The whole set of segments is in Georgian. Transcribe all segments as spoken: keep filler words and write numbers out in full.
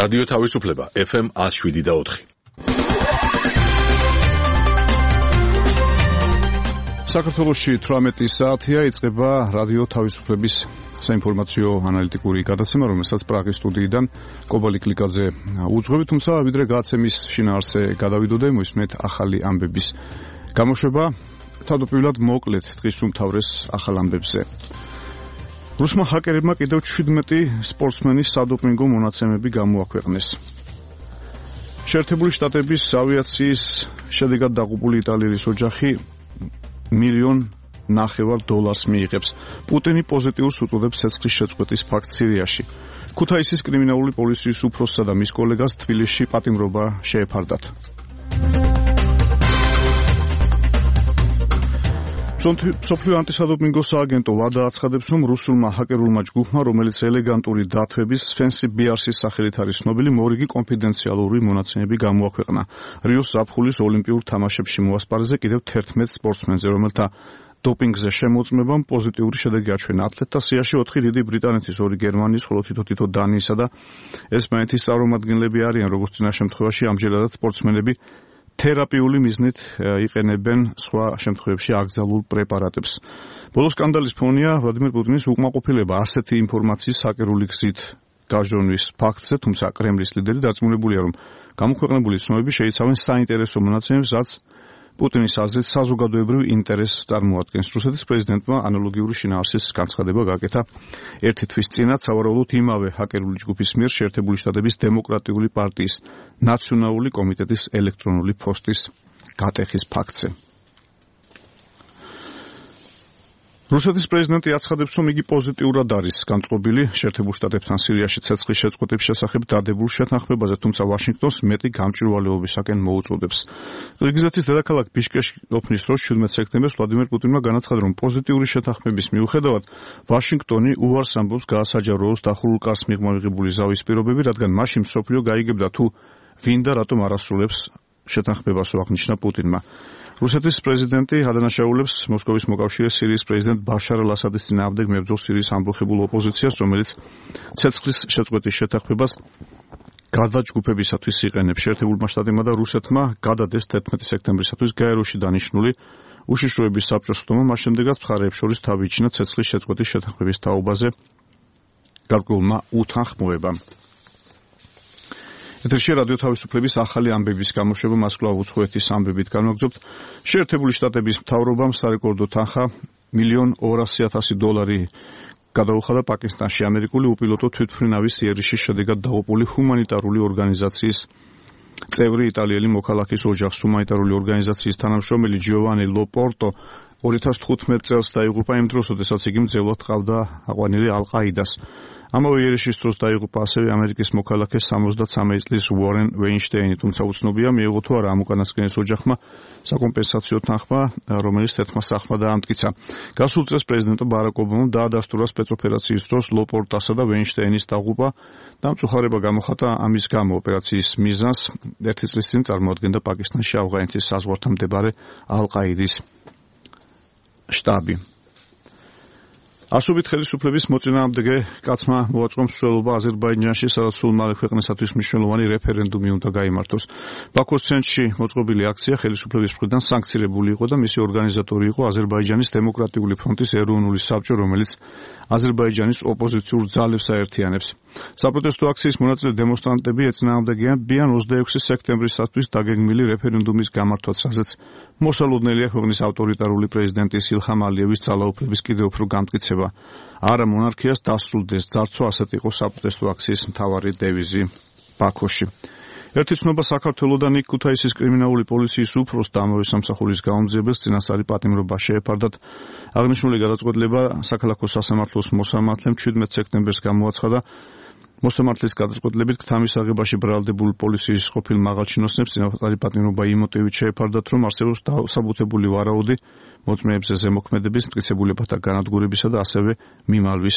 რადიო თავისუფლება ეფ ემ ათს შვიდი და ოთხი. საქართველოში თვრამეტი საათია, იწყება რადიო თავისუფლების საინფორმაციო ანალიტიკური გადაცემა, რომელსაც პრაღის სტუდიიდან კობალი კლიკაძე უძღვები, თუმცა ვიდრე გადაცემის შინაარსზე გადავიდოდე, მოისმენთ ახალი ამბების გამოშვება. თავდაპირველად მოკლედ დღის უმთავრეს ახალ ამბებზე. რუსმა ჰაკერებმა კიდევ შვიდმეტი სპორტსმენის სადოპინგო მონაცემები გამოაქვეყნეს. შეერთებული შტატების ავიაციის შედეგად დაღუპული იტალიის ოჯახი მილიონ ნახევარ დოლარს მიიღებს. პუტინი პოზიტიურს უწოდებს ცეცხლის შეწყვეტის ფაქტს სირიაში. ქუთაისის კრიმინალური პოლიციის უფროსსა და მის კოლეგას თბილისში პატიმრობა შეეფარდათ. მსოფლიო ანტისადოპინგო სააგენტო ვადა აცხადებს, რომ რუსულმა ჰაკერულმა ჯგუფმა, რომელიც ელეგანტური დათვების Fancy Bears-ის სახელით არის ცნობილი, მორიგი კონფიდენციალური მონაცემები გამოაქვეყნა. რიოს ზაფხულის ოლიმპიურ თამაშებში მოასპარეზე კიდევ თერთმეტ სპორტსმენზე, რომელთა დოპინგზე შემოწმებამ პოზიტიური შედეგი აჩვენა. ათლეტთა სიაში ოთხი დიდი ბრიტანეთის, ორი გერმანიის, ხოლო თითო-თითო დანიისა და ესპანეთის წარმომადგენლები არიან, როგორც წინა შემთხვევაში ამჯერადაც სპორტსმენები თერაპიული მიზნით იყენებენ სხვა შემთხვევებში აკრძალულ პრეპარატებს. ბოლო სკანდალის ფონია ვლადიმერ პუტინის უკმაყოფილება ასეთი ინფორმაციის ჰაკერული გზით გაჟონვის ფაქტზე, თუმცა კრემლის ლიდერი დარწმუნებულია, რომ გამოქვეყნებული ცნობები შეიცავენ საინტერესო მონაცემებს, რაც პუტინის აზრით საზოგადოებრივ ინტერესს წარმოადგენს. რუსეთის პრეზიდენტმა ანალოგიური შინაარსის განცხადება გააკეთა ერთი თვის წინათ, სავარაუდოდ იმავე ჰაკერული ჯგუფის მიერ შეერთებული შტატების დემოკრატიული პარტიის ნაციონალური კომიტეტის ელექტრონული ფოსტის გატეხის ფაქტზე. რუსეთის პრეზიდენტი აცხადებს, რომ იგი პოზიტიურად არის განწყობილი შეერთებულ შტატებთან სირიაში ცეცხლის შეწყვეტის შესახებ დადებულ შეთანხმებაზე, თუმცა ვაშინგტონს მეტი გამჭვირვალეობისაკენ მოუწოდებს. ყირგიზეთის დედაქალაქ ბიშკეში ყოფნის დროს შვიდმეტ სექტემბერს ვლადიმერ პუტინმა განაცხადა, რომ პოზიტიური შეთანხმების მიუხედავად ვაშინგტონი უარს ამბობს გაასაჯაროოს დახურულ კარს მიღმა მიღებული ზავის პირობები, რადგან მაშინ მსოფლიო გაიგებდა თუ ვინ და რატომ არ ასრულებს შეთანხმებას, აღნიშნა პუტინმა. რუსეთის პრეზიდენტი ადანაშაულებს მოსკოვის მოკავშირეს სირიის პრეზიდენტ ბაშარ ალ-ასადის წინააღმდეგ მებრძოლ სირიის ამბოხებულ ოპოზიციას, რომელიც ცეცხლის შეწყვეტის შეთანხმებას გადაჯგუფებისათვის იყენებს. შეერთებულმა შტატებმა და რუსეთმა გადადეს თერთმეტი სექტემბრისათვის გაეროში დანიშნული უშიშროების საბჭოს ხდომა, მას შემდეგაც მხარეებს შორის თავი იჩინა ცეცხლის შეწყვეტის შეთანხმების თაობაზე გარკვეულმა უთანხმოებამ. ეთერში რადიო თავისუფლების ახალი ამბების გამოშვება, მას კვლავ უცხოეთის ამბებით განვაგრძობთ. შეერთებული შტატების მთავრობამ სარეკორდო თანხა მილიონ ორასი ათასი დოლარი გადაუხადა პაკისტანში ამერიკული უპილოტო თვითმფრინავის იერიში შედეგად დაღუპული ჰუმანიტარული ორგანიზაციის წევრი იტალიელი მოქალაქის ოჯახს. ჰუმანიტარული ორგანიზაციის თანამშრომელი ჯიოვანი ლოპორტო ორი ათას თხუთმეტ წელს დაიღუპა იმ დროს, როდესაც იგი მძევლად ჰყავდა აყვანილი ალ-ყაიდას. ამავე იერიშის დროს დაიღუპა ასევე ამერიკის მოქალაქე სამოცდაცამეტ წლის უორენ ვეინშტეინი, თუმცა უცნობია მიიღო თუ არა ამ უკანასკნელის ოჯახმა საკომპენსაციო თანხმა, რომელიც თერთმა სახლმა დაამტკიცა. გასულ წელს პრეზიდენტ ბარაკ ობამამ დაადასტურა სპეცოპერაციის დროს ლოპორტასა და ვეინშტეინის დაღუპვა და მწუხარება გამოხატა ამის გამო. ოპერაციის მიზანს ერთი წლის წინ წარმოადგენდა პაკისტანში ავღანეთის საზღვართან მდებარე ალ-ყაიდის შტაბი. ასობით ხელისუფლების მოწინააღმდეგე კაცმა მოაწყო მსვლელობა აზერბაიჯანში, სადაც სულ მალე ქვეყნისათვის მნიშვნელოვანი რეფერენდუმი უნდა გაიმართოს. ბაქოს ცენტრში მოწყობილი აქცია ხელისუფლების მხრიდან სანქცირებული იყო და მისი ორგანიზატორი იყო აზერბაიჯანის დემოკრატიული ფრონტის ეროვნული საბჭო, რომელიც აზერბაიჯანის ოპოზიციურ ძალებს აერთიანებს. საპროტესტო აქციის მონაწილე დემონსტრანტები ეწინააღმდეგებიან ოცდაექვსი სექტემბრისათვის დაგეგმილი რეფერენდუმის გამართვას, რაზეც მოსალოდნელია ქვეყნის ავტორიტარული პრეზიდენტის ილჰამ ალიევის ძალაუფლების კიდევ უფრო გამტკიცება. არა მონარქიას დასრულდეს ძარცვა, ასეთ იყო საპროტესტო აქციის მთავარი დევიზი ბაქოში. ერთი ცნობა საქართველოდან იქ ქუთაისის კრიმინალური პოლიციის უფროს და ამავე სამსახურის გაუმძიებელს წინასწარი პატიმრობა შეეფარდათ. აღნიშნული გადაწყვეტილება საქალაქო სასამართლოს მოსამართლემ შვიდმეტ სექტემბერს გამოაცხადა. მოსამართლის გადაწყვეტილებით ქთამის აღებაში ბრალდებულ პოლიციის ყოფილ მაღალჩინოსნებს წინასწარი პატიმრობა იმ მოტივით შეეფარდათ, რომ არსებობს დასაბუთებული ვარაუდი მოწმეებზე ზემოქმედების, მტკიცებულებათა განადგურებისა და ასევე მიმალვის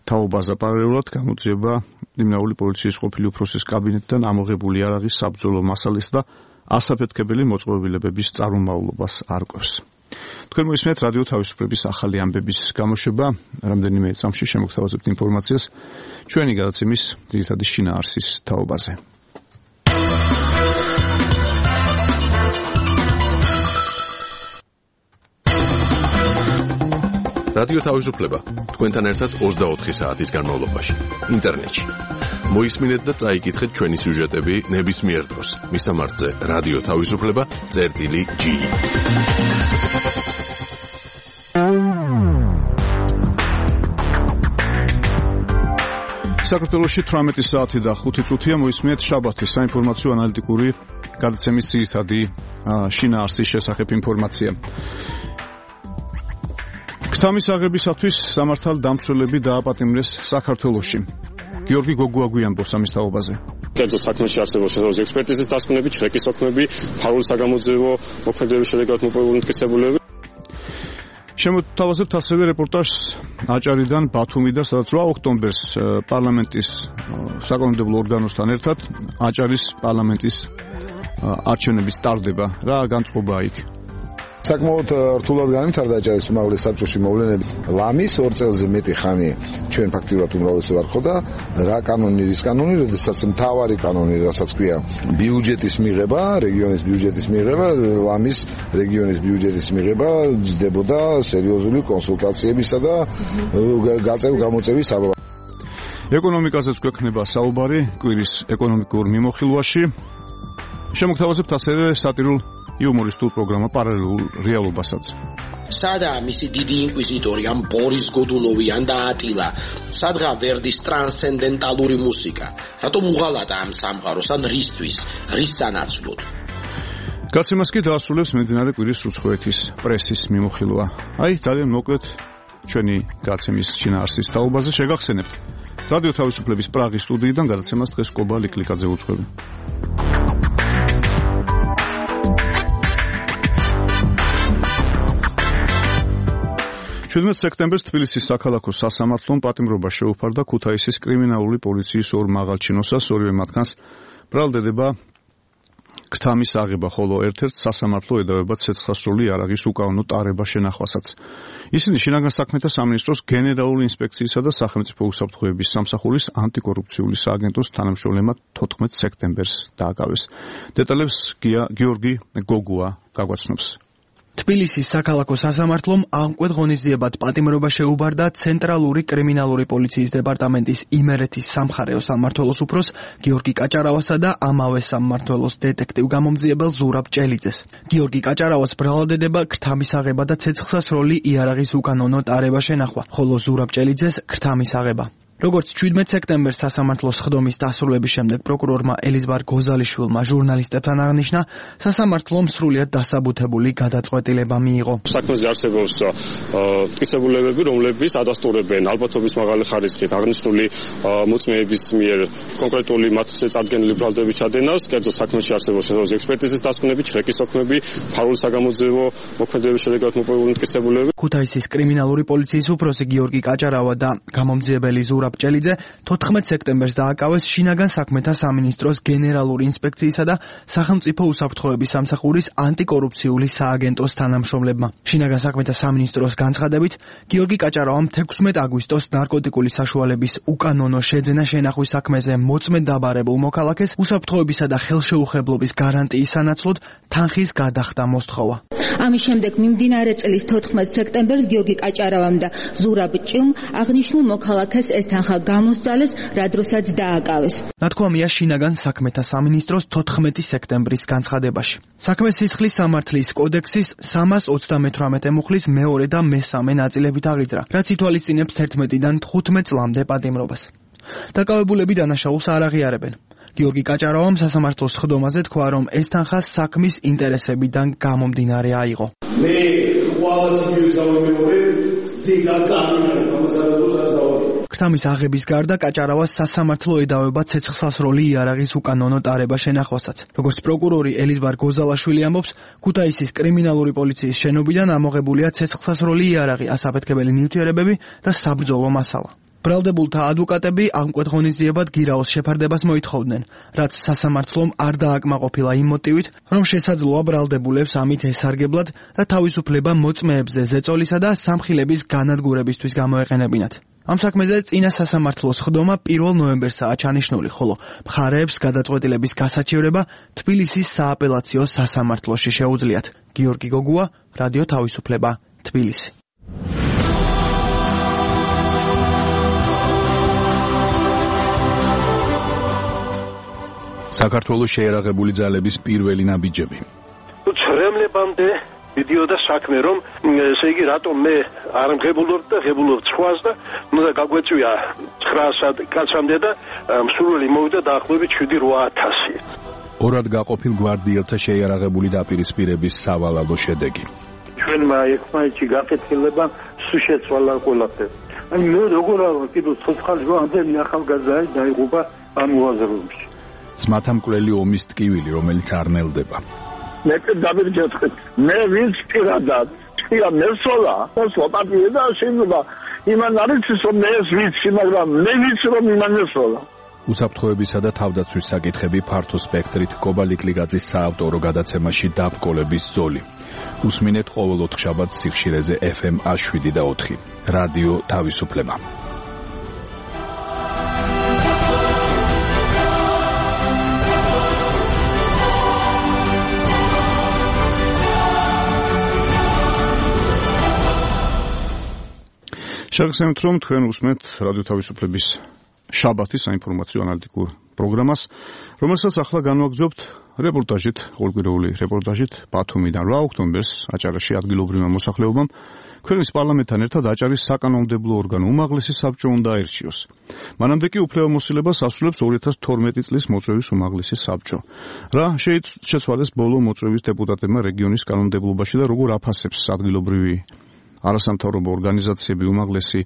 თაობაზე. პარალელურად გამოძიება კრიმინალური პოლიციის ყოფილი უფროსის კაბინეტიდან ამოღებული არაღის საბრძოლო მასალის და ასაფეთქებელი მოწყობილებების წარმომავლობას არკვევს. თქვენ მოისმენთ რადიო თავისუფლების ახალი ამბების გამოშვება, რამდენიმე წამში შემოგთავაზებთ ინფორმაციას ჩვენი გადაცემის ძირითადი შინაარსის თაობაზე. რადიო თავისუფლება თქვენთან ერთად ოცდაოთხი საათის განმავლობაში ინტერნეტში. მოისმინეთ და წაიკითხეთ ჩვენი სიუჟეტები ნებისმიერ დროს. მისამართზე რადიო თავისუფლება წერტილი ჯი. საქართველოში თვრამეტი საათი და ხუთი წუთია მოისმინეთ შაბათის საინფორმაციო ანალიტიკური გადაცემის ძირითადი შინაარსის შესახებ ინფორმაცია. ქთამის აღებისათვის სამართალდამცველები დააპატიმრეს საქართველოში. გიორგი გოგუა გვიანბოს ამის თაობაზე. კერძო საქმეში არსებობს შესაძლოა ექსპერტიზის დასკვნები, ჩრეკის ოქმები, ფარული საგამოძიებო მოქმედების შედეგად მოპოვებული მტკიცებულებები. შემოთავაზებთ ასევე რეპორტაჟს აჭარიდან ბათუმიდან, სადაც რვა ოქტომბერს პარლამენტის საკანონმდებლო ორგანოსთან ერთად აჭარის პარლამენტის არჩევნები სტარდება. რა განწყობაა იქ? საკმაოდ რთულად განვითარდა აჭარის უმაღლეს საბჭოში მოვლენები. ლამის ორ წელზე მეტი ხანი ჩვენ ფაქტიურად უმრავლესი ვარ ხო და რა კანონი, რის კანონი, როდესაც მთავარი კანონი, რასაც ქვია ბიუჯეტის მიღება, რეგიონის ბიუჯეტის მიღება, ლამის რეგიონის ბიუჯეტის მიღება ძდებოდა სერიოზული კონსულტაციებისა და გაწევ გამოწევის საბაბად. ეკონომიკაზეც გვექნება საუბარი კვირის ეკონომიკურ მიმოხილვაში. შემოგთავაზებთ ასევე სატირულ იუმორისტულ პროგრამა პარალელურ რეალობასაც. სადაა მისი დიდი ინკვიზიტორი ამ ბორის გოდუნოვი ან და ატილა? სადღა ვერდის ტრანსცენდენტალური მუსიკა? რატომ უღალატა ამ სამყაროს ან რისთვის? რის სანაცვლოდ? გაცემას კი დაასრულებს მიმდინარე კვირის უცხოეთის პრესის მიმოხილვა. აი, ძალიან მოკლედ ჩვენი გაცემის შინაარსის თაობაზე შეგახსენებთ. რადიო თავისუფლების პრაღის სტუდიიდან გადაცემას დღეს კობა ლიკლიკაძე უძღვები. შვიდმეტ სექტემბერს თბილისის საქალაქო სასამართლომ პატიმრობა შეუფარდა ქუთაისის კრიმინალური პოლიციის ორ მაღალჩინოსას, ორივე მათგანს ბრალდება ქთამის აღება, ხოლო ერთ-ერთ სასამართლო ედავება ცეცხლსასროლი იარაღის უკანონო ტარება შენახვასაც. ისინი შინაგან საქმეთა სამინისტროს გენერალური ინსპექციისა და სახელმწიფო უსაფრთხოების სამსახურის ანტიკორუფციული სააგენტოს თანამშრომლებმა თოთხმეტ სექტემბერს დააკავეს. დეტალებს გიორგი გოგუა გაგვაცნობს. თბილისის საქალაქო სასამართლომ ამკვეთ ღონისძიებად პატიმრობა შეუბარდა ცენტრალური კრიმინალური პოლიციის დეპარტამენტის იმერეთის სამხარეო სამმართველოს უფროს გიორგი კაჭარავასა და ამავე სამმართველოს დეტექტივ გამომძიებელ ზურაბ ჭელიძეს. გიორგი კაჭარავას ბრალადდება ქრთამის აღება და ცეცხლსასროლი იარაღის უკანონო ტარება შენახვა, ხოლო ზურაბ ჭელიძეს ქრთამის აღება. როგორც შვიდმეტ სექტემბერს სასამართლოს ხდომის დასრულების შემდეგ პროკურორმა ელიზბარ გოზალიშვილმა ჟურნალისტებთან აღნიშნა, სასამართლომ სრულიად დასაბუთებული გადაწყვეტილება მიიღო. საქმეზე არსებობს მტკიცებულებები, რომლებიც ადასტურებენ ალბათობის მაღალი ხარისხით აღნიშნული მოწმეების მიერ კონკრეტული მათზე წარდგენილი ბრალდების ჩადენას, კერძო საქმეში არსებობს შესაძლოა ექსპერტიზის დასკვნები, ჩრეკის ოქმები, ფარული საგამოძიებო მოქმედების შედეგად მოპოვებული მტკიცებულებები. ქუთაისის კრიმინალური პოლიციის უფროსი გიორგი კაჭარავა და გამომძიებელი ზურაბ ჭელიძე თოთხმეტ სექტემბერს დააკავეს შინაგან საქმეთა სამინისტროს გენერალური ინსპექციისა და სახელმწიფო უსაფრთხოების სამსახურის ანტიკორუფციული სააგენტოს თანამშრომლებმა. შინაგან საქმეთა სამინისტროს განცხადებით, გიორგი კაჭარავამ თექვსმეტ აგვისტოს ნარკოტიკული საშუალების უკანონო შეძენა შენახვის საქმეზე მოწმედ დაბარებულ მოქალაქეს უსაფრთხოებისა და ხელშეუხებლობის გარანტიის სანაცვლოდ თანხის გადახდა მოსთხოვა. ამის შემდეგ მიმდინარე წლის თოთხმეტ სექტემბერს გიორგი კაჭარავამ და ზურაბ ჭილმ აღნიშნულ მოქალაქეს ეს თანხა გამოსცალეს, რა დროსაც დააკავეს. ნათქვამია შინაგან საქმეთა სამინისტროს თოთხმეტი სექტემბრის განცხადებაში. საქმე სისხლის სამართლის კოდექსის სამას ოცდამეთვრამეტე მუხლის მეორე და მესამე ნაწილებით აღიძრა, რაც ითვალისწინებს თერთმეტიდან თხუთმეტ წლამდე პატიმრობას. დაკავებულები დანაშაულს არ აღიარებენ. გიორგი კაჭარავამ სასამართლოს ხდომაზე თქვა, რომ ეს თანხა საქმის ინტერესებიდან გამომდინარე აიღო. მე ხვალაც ის დავიმეორე, ზეგაც ამინარ გამოსავალს დავაგე. ქთამის აღების გარდა კაჭარავას სასამართლო ედავება ცეცხლსასროლი იარაღის უკანონო ტარება შენახვასაც. როგორც პროკურორი ელიზბარ გოზალაშვილი ამბობს, ქუთაისის კრიმინალური პოლიციის შენობიდან ამოღებულია ცეცხლსასროლი იარაღი, ასაფეთქებელი ნივთიერებები და საბრძოლო მასალა. ბრალდებულთა ადვოკატები ამკვეთ ღონისძიებად გირაოს შეფარდებას მოითხოვდნენ, რაც სასამართლომ არ დააკმაყოფილა იმ მოტივით, რომ შესაძლოა ბრალდებულებს ამით ესარგებლად და თავისუფლება მოწმეებზე ზეწოლისა და სამხილების განადგურებისთვის გამოეყენებინათ. ამ საქმეზე წინა სასამართლოს ხდომა პირველ ნოემბერსაა ჩანიშნული, ხოლო მხარეებს გადაწყვეტილების გასაჩივრება თბილისის სააპელაციო სასამართლოში შეუძლიათ. გიორგი გოგუა, რადიო თავისუფლება, თბილისი. საქართველოს შეერაღებული ძალების პირველი ნაბიჯები. ცრემლებამდე მიდიოდა საქმე, რომ ესე იგი რატომ მე არ მღებულობ და ღებულობ სხვას და უნდა გაგვეწვია ცხრაასად კაცამდე და მსურველი მოვიდა დაახლოებით შვიდი რვა ათასი. ორად გაყოფილ გვარდიელთა შეიარაღებული დაპირისპირების სავალალო შედეგი. ჩვენმა ერთმანეთში გაკეთილება სულ შეცვალა ყველაფერი. აი მე როგორ არა კიდევ ცოცხალი ამდენი ახალგაზრდა დაიღუპა ამ უაზროებში. ძმათა მკვლელი ომის ტკივილი, რომელიც არ ნელდება. მე დავირჯეთყეთ. მე ვინც პირადად ტკია მესოლა, ოსო პარტია და შეიძლება იმან არის რომ მე ვიცი, მაგრამ მე ვიცი რომ იმან მესოლა. უსაფრთხოებისა და თავდაცვის საკითხები ფართო სპექტრით კობალიკლიგაძის საავტორო გადაცემაში დაბრკოლების ზოლი. უსმინეთ ყოველ ოთხშაბათს სიხშირეზე ეფ ემ შვიდი და ოთხი. რადიო თავისუფლება. შეგახსენებთ, რომ თქვენ უსმენთ რადიო თავისუფლების შაბათის საინფორმაციო ანალიტიკურ პროგრამას, რომელსაც ახლა განვაგრძობთ რეპორტაჟით, ყოველკვირეული რეპორტაჟით ბათუმიდან რვა ოქტომბერს აჭარაში ადგილობრივმა მოსახლეობამ ქვეყნის პარლამენტთან ერთად აჭარის საკანონმდებლო ორგანო უმაღლესი საბჭო უნდა აირჩიოს. მანამდე კი უფლებამოსილებას ასრულებს ორი ათას თორმეტი წლის მოწვევის უმაღლესი საბჭო. რა შეცვალეს ბოლო მოწვევის დეპუტატებმა რეგიონის კანონმდებლობაში და როგორ აფასებს ადგილობრივი არასამთავრობო ორგანიზაციები უმაღლესი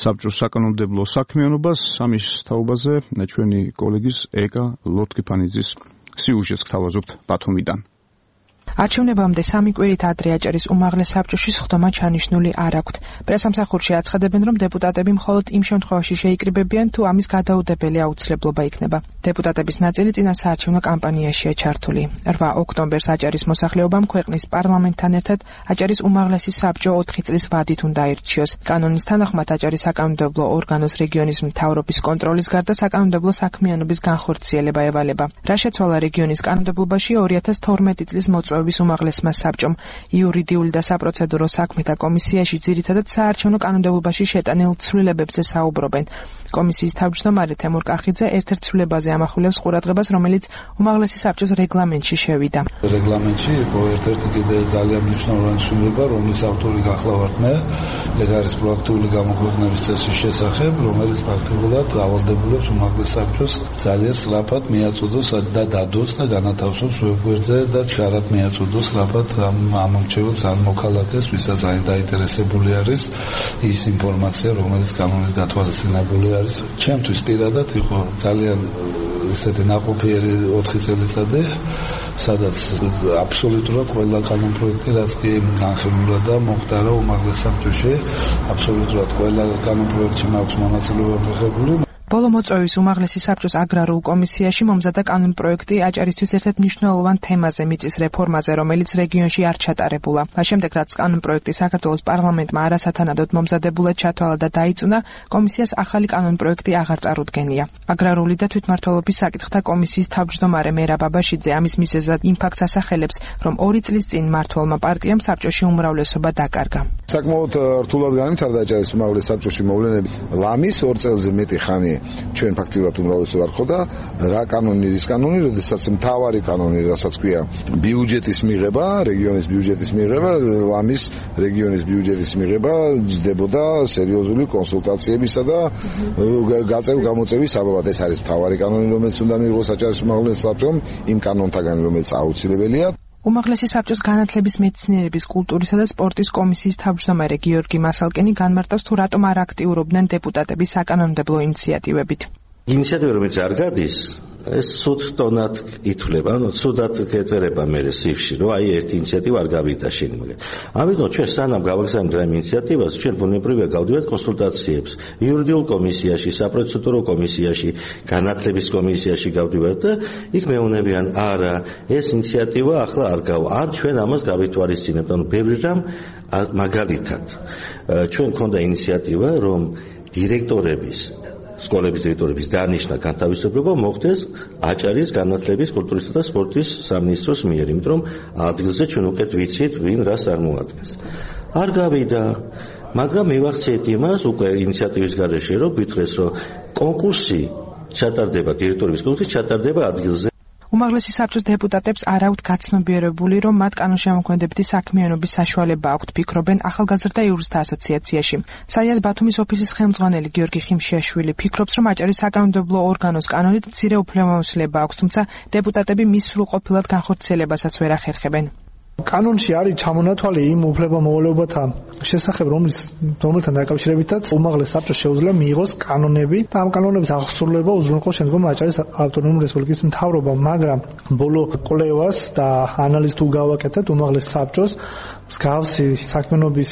საბჭოს საკანონმდებლო საქმიანობას, ამის თაობაზე ჩვენი კოლეგის ეკა ლოტკიფანიძის სიუჟეტს გთავაზობთ ბათუმიდან. არჩევნებამდე სამი კვირით ადრე აჭარის უმაღლეს საბჭოში სხდომა ჩანიშნული არ აქვთ. პრესამსახურში აცხადებენ, რომ დეპუტატები მხოლოდ იმ შემთხვევაში შეიკრიბებიან, თუ ამის გადაუდებელი აუცილებლობა იქნება. დეპუტატების ნაწილი წინა საარჩევნო კამპანიაშია ჩართული. რვა ოქტომბერს აჭარის მოსახლეობამ ქვეყნის პარლამენტთან ერთად აჭარის უმაღლესი საბჭო ოთხი წლის ვადით უნდა აირჩიოს. კანონის თანახმად აჭარის საკანონმდებლო ორგანოს რეგიონის მთავრობის კონტროლის გარდა საკანონმდებლო საქმიანობის განხორციელება ევალება. რა შეცვალა რეგიონის კანონმდებლობაში ორი ათას თორმეტი წლის მოწვევის უმაღლესმა საბჭომ იურიდიული და საპროცედურო საქმეთა კომისიაში ძირითადად საარჩევნო კანონმდებლობაში შეტანილ ცვლილებებზე საუბრობენ. კომისიის თავმჯდომარე თემურ კახიძე ერთ-ერთ ცვლილებაზე ამახვილებს ყურადღებას, რომელიც უმაღლესი საბჭოს რეგლამენტში შევიდა. რეგლამენტში იყო ერთ-ერთი კიდე ძალიან მნიშვნელოვანი ცვლილება, რომლის ავტორი გახლავართ მე, ეგ არის პროაქტიული გამოქვეყნების წესის შესახებ, რომელიც ფაქტობრივად დავალდებულებს უმაღლეს საბჭოს ძალიან სწრაფად მიაწოდოს და დადოს და განათავსოს ვებგვერდზე და ჩქარად მიაწოდოს სწრაფად ამ ამორჩეველს ან მოქალაქეს, ვისაც დაინტერესებული არის ის ინფორმაცია, რომელიც კანონის გათვალისწინებული არის. ჩემთვის პირადად იყო ძალიან ესეთი ნაყოფიერი ოთხი წელიწადი, სადაც აბსოლუტურად ყველა კანონპროექტი, რაც კი განხილულა და მომხდარა უმაღლეს საბჭოში, აბსოლუტურად ყველა კანონპროექტში მაქვს მონაწილეობა მიღებული. ბოლო მოწვევის უმაღლესი საბჭოს აგრარულ კომისიაში მომზადდა კანონპროექტი აჭარისთვის ერთ-ერთ მნიშვნელოვან თემაზე, მიწის რეფორმაზე, რომელიც რეგიონში არ ჩატარებულა. მას შემდეგ, რაც კანონპროექტი საქართველოს პარლამენტმა არასათანადოდ მომზადებულად ჩათვალა და დაიწუნა, კომისიას ახალი კანონპროექტი აღარ წარუდგენია. აგრარული და თვითმმართველობის საკითხთა კომისიის თავმჯდომარე მერაბ ბაბაშიძე ამის მიზეზად იმ ფაქტს ასახელებს, რომ ორი წლის წინ მმართველმა პარტიამ საბჭოში უმრავლესობა დაკარგა. საკმაოდ რთულად განვითარდა აჭარის უმაღლეს საბჭოში მოვლენები. ლამის ორ წელზე მეტი ხანი ჩვენ ფაქტიურად უმრავლესობა არ ხოდა რა კანონი ის კანონი, როდესაც მთავარი კანონი, რასაც ქვია ბიუჯეტის მიღება, რეგიონის ბიუჯეტის მიღება, ლამის რეგიონის ბიუჯეტის მიღება ჯდებოდა სერიოზული კონსულტაციებისა და გაწევ გამოწევის საბაბად. ეს არის მთავარი კანონი, რომელიც უნდა მიიღოს აჭარის უმაღლეს საბჭომ იმ კანონთაგან, რომელიც აუცილებელია. უმაღლესი საბჭოს განათლების, მეცნიერების, კულტურისა და სპორტის კომისიის თავმჯდომარე გიორგი მასალკენი განმარტავს, თუ რატომ არ აქტიურობდნენ დეპუტატები საკანონმდებლო ინიციატივებით. ინიციატივა რომელიც არ გადის, ეს სულ ტონად ითვლება, ანუ სუდად გეწერება მე სიფში, რომ აი ერთი ინიციატივა არ გავიდა შენ მაგ. ამიტომ ჩვენ სანამ გავაგზავნებთ ამ ინიციატივას, ჩვენ ბუნებრივია გავდივართ კონსულტაციებს იურიდიულ კომისიაში, საპროცედურო კომისიაში, განათლების კომისიაში გავდივართ და იქ მეუბნებიან, არა, ეს ინიციატივა ახლა არ გავა. ან ჩვენ ამას გავითვალისწინებთ, ანუ ბევრი რამ მაგალითად ჩვენ მქონდა ინიციატივა, რომ დირექტორების სკოლების დირექტორების დანიშნა განთავისუფლება მოხდეს აჭარის განათლების, კულტურისა და სპორტის სამინისტროს მიერ, იმიტომ რომ ადგილზე ჩვენ უკეთ ვიცით, ვინ რას წარმოადგენს. არ გავიდა, მაგრამ მივახციეთ იმას უკვე ინიციატივის გარეშე, რომ გითხრეს, რომ კონკურსი ჩატარდება, დირექტორების კონკურსი ჩატარდება ადგილზე. უმაღლესი საბჭოს დეპუტატებს არ აქვთ გაცნობიერებული, რომ მათ კანონშემოქმედებითი საქმიანობის საშუალება აქვთ, ფიქრობენ ახალგაზრდა იურისტთა ასოციაციაში. საიას ბათუმის ოფისის ხელმძღვანელი გიორგი ხიმშიაშვილი ფიქრობს, რომ აჭარის საკანონმდებლო ორგანოს კანონით მცირე უფლებამოსილება აქვს, თუმცა დეპუტატები მის სრულყოფილად განხორციელებასაც ვერ ახერხებენ. კანონში არის ჩამონათვალი იმ უფლებამოვალეობათა შესახებ, რომელთან დაკავშირებითაც უმაღლეს საბჭოს შეუძლია მიიღოს კანონები და ამ კანონების აღსრულება უზრუნველყოს შემდგომ აჭარის ავტონომიური რესპუბლიკის მთავრობამ, მაგრამ ბოლო კვლევას და ანალიზს თუ გავაკეთებთ უმაღლეს საბჭოს მსგავსი საქმიანობის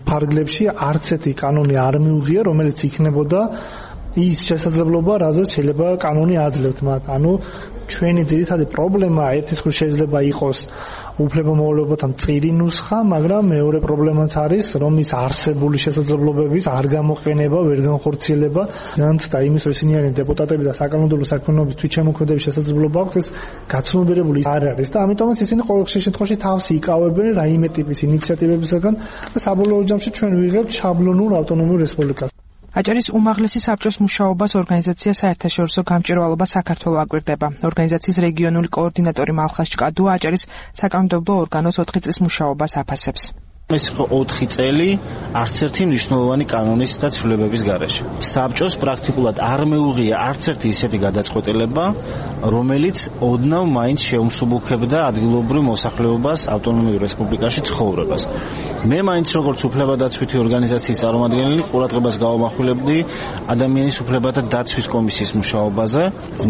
ფარგლებში არც ერთი კანონი არ მიუღია, რომელიც იქნებოდა ის შესაძლებლობა, რაზეც შეიძლება კანონი აძლევთ მათ. ანუ ჩვენი ძირითადი პრობლემა ერთის მხრივ შეიძლება იყოს უფლებამოვალეობათა მწირი ნუსხა, მაგრამ მეორე პრობლემაც არის, რომ ის არსებული შესაძლებლობების არ გამოყენება, ვერ განხორციელება, განცდა იმის, რომ ისინი არიან დეპუტატები და საკანონმდებლო საქმიანობის თვითშემოქმედების შესაძლებლობა აქვს, ეს გაცნობიერებული არ არის და ამიტომაც ისინი ყოველ შემთხვევაში თავს იკავებენ რაიმე ტიპის ინიციატივებისგან და საბოლოო ჯამში ჩვენ ვიღებთ შაბლონურ ავტონომიურ რესპუბლიკას. აჭარის უმაღლესი საბჭოს მუშაობას ორგანიზაცია საერთაშორისო გამჭვირვალობა საქართველოს აკვირდება. ორგანიზაციის რეგიონული კოორდინატორი მალხას ჭკადუა აჭარის საკანონმდებლო ორგანოს ოთხი წლის მუშაობას აფასებს. ეს იყო ოთხი წელი არც ერთი მნიშვნელოვანი კანონის და ცვლილებების გარეშე. საბჭოს პრაქტიკულად არ მეუღია არც ერთი ისეთი გადაწყვეტილება, რომელიც ოდნავ მაინც შეუმსუბუქებდა ადგილობრივ მოსახლეობას ავტონომიურ რესპუბლიკაში ცხოვრებას. მე მაინც როგორც უფლებადაცვითი ორგანიზაციის წარმომადგენელი ყურადღებას გავამახვილებდი ადამიანის უფლებათა დაცვის კომისიის მუშაობაზე.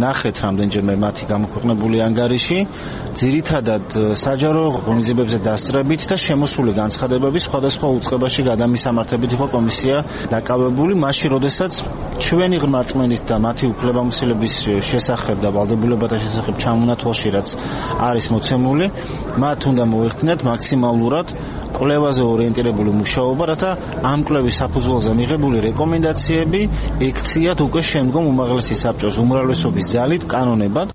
ნახეთ რამდენჯერმე მათი გამოქვეყნებული ანგარიში, ძირითადად საჯარო ღონისძიებებზე დასწრებით და შემოსული განცხადებებით სხვადასხვა უწყებაში გადამისამართებით იყო კომისია დაკავებული, მაშინ როდესაც ჩვენი ღრმა რწმენით და მათი უფლებამოსილების შესახებ და ვალდებულებათა შესახებ ჩამონათვალში რაც არის მოცემული, მათ უნდა მოეხდინათ მაქსიმალურად კვლევაზე ორიენტირებული მუშაობა, რათა ამ კვლევის საფუძველზე მიღებული რეკომენდაციები ექციათ უკვე შემდგომ უმაღლესი საბჭოს უმრავლესობის ძალით კანონებად.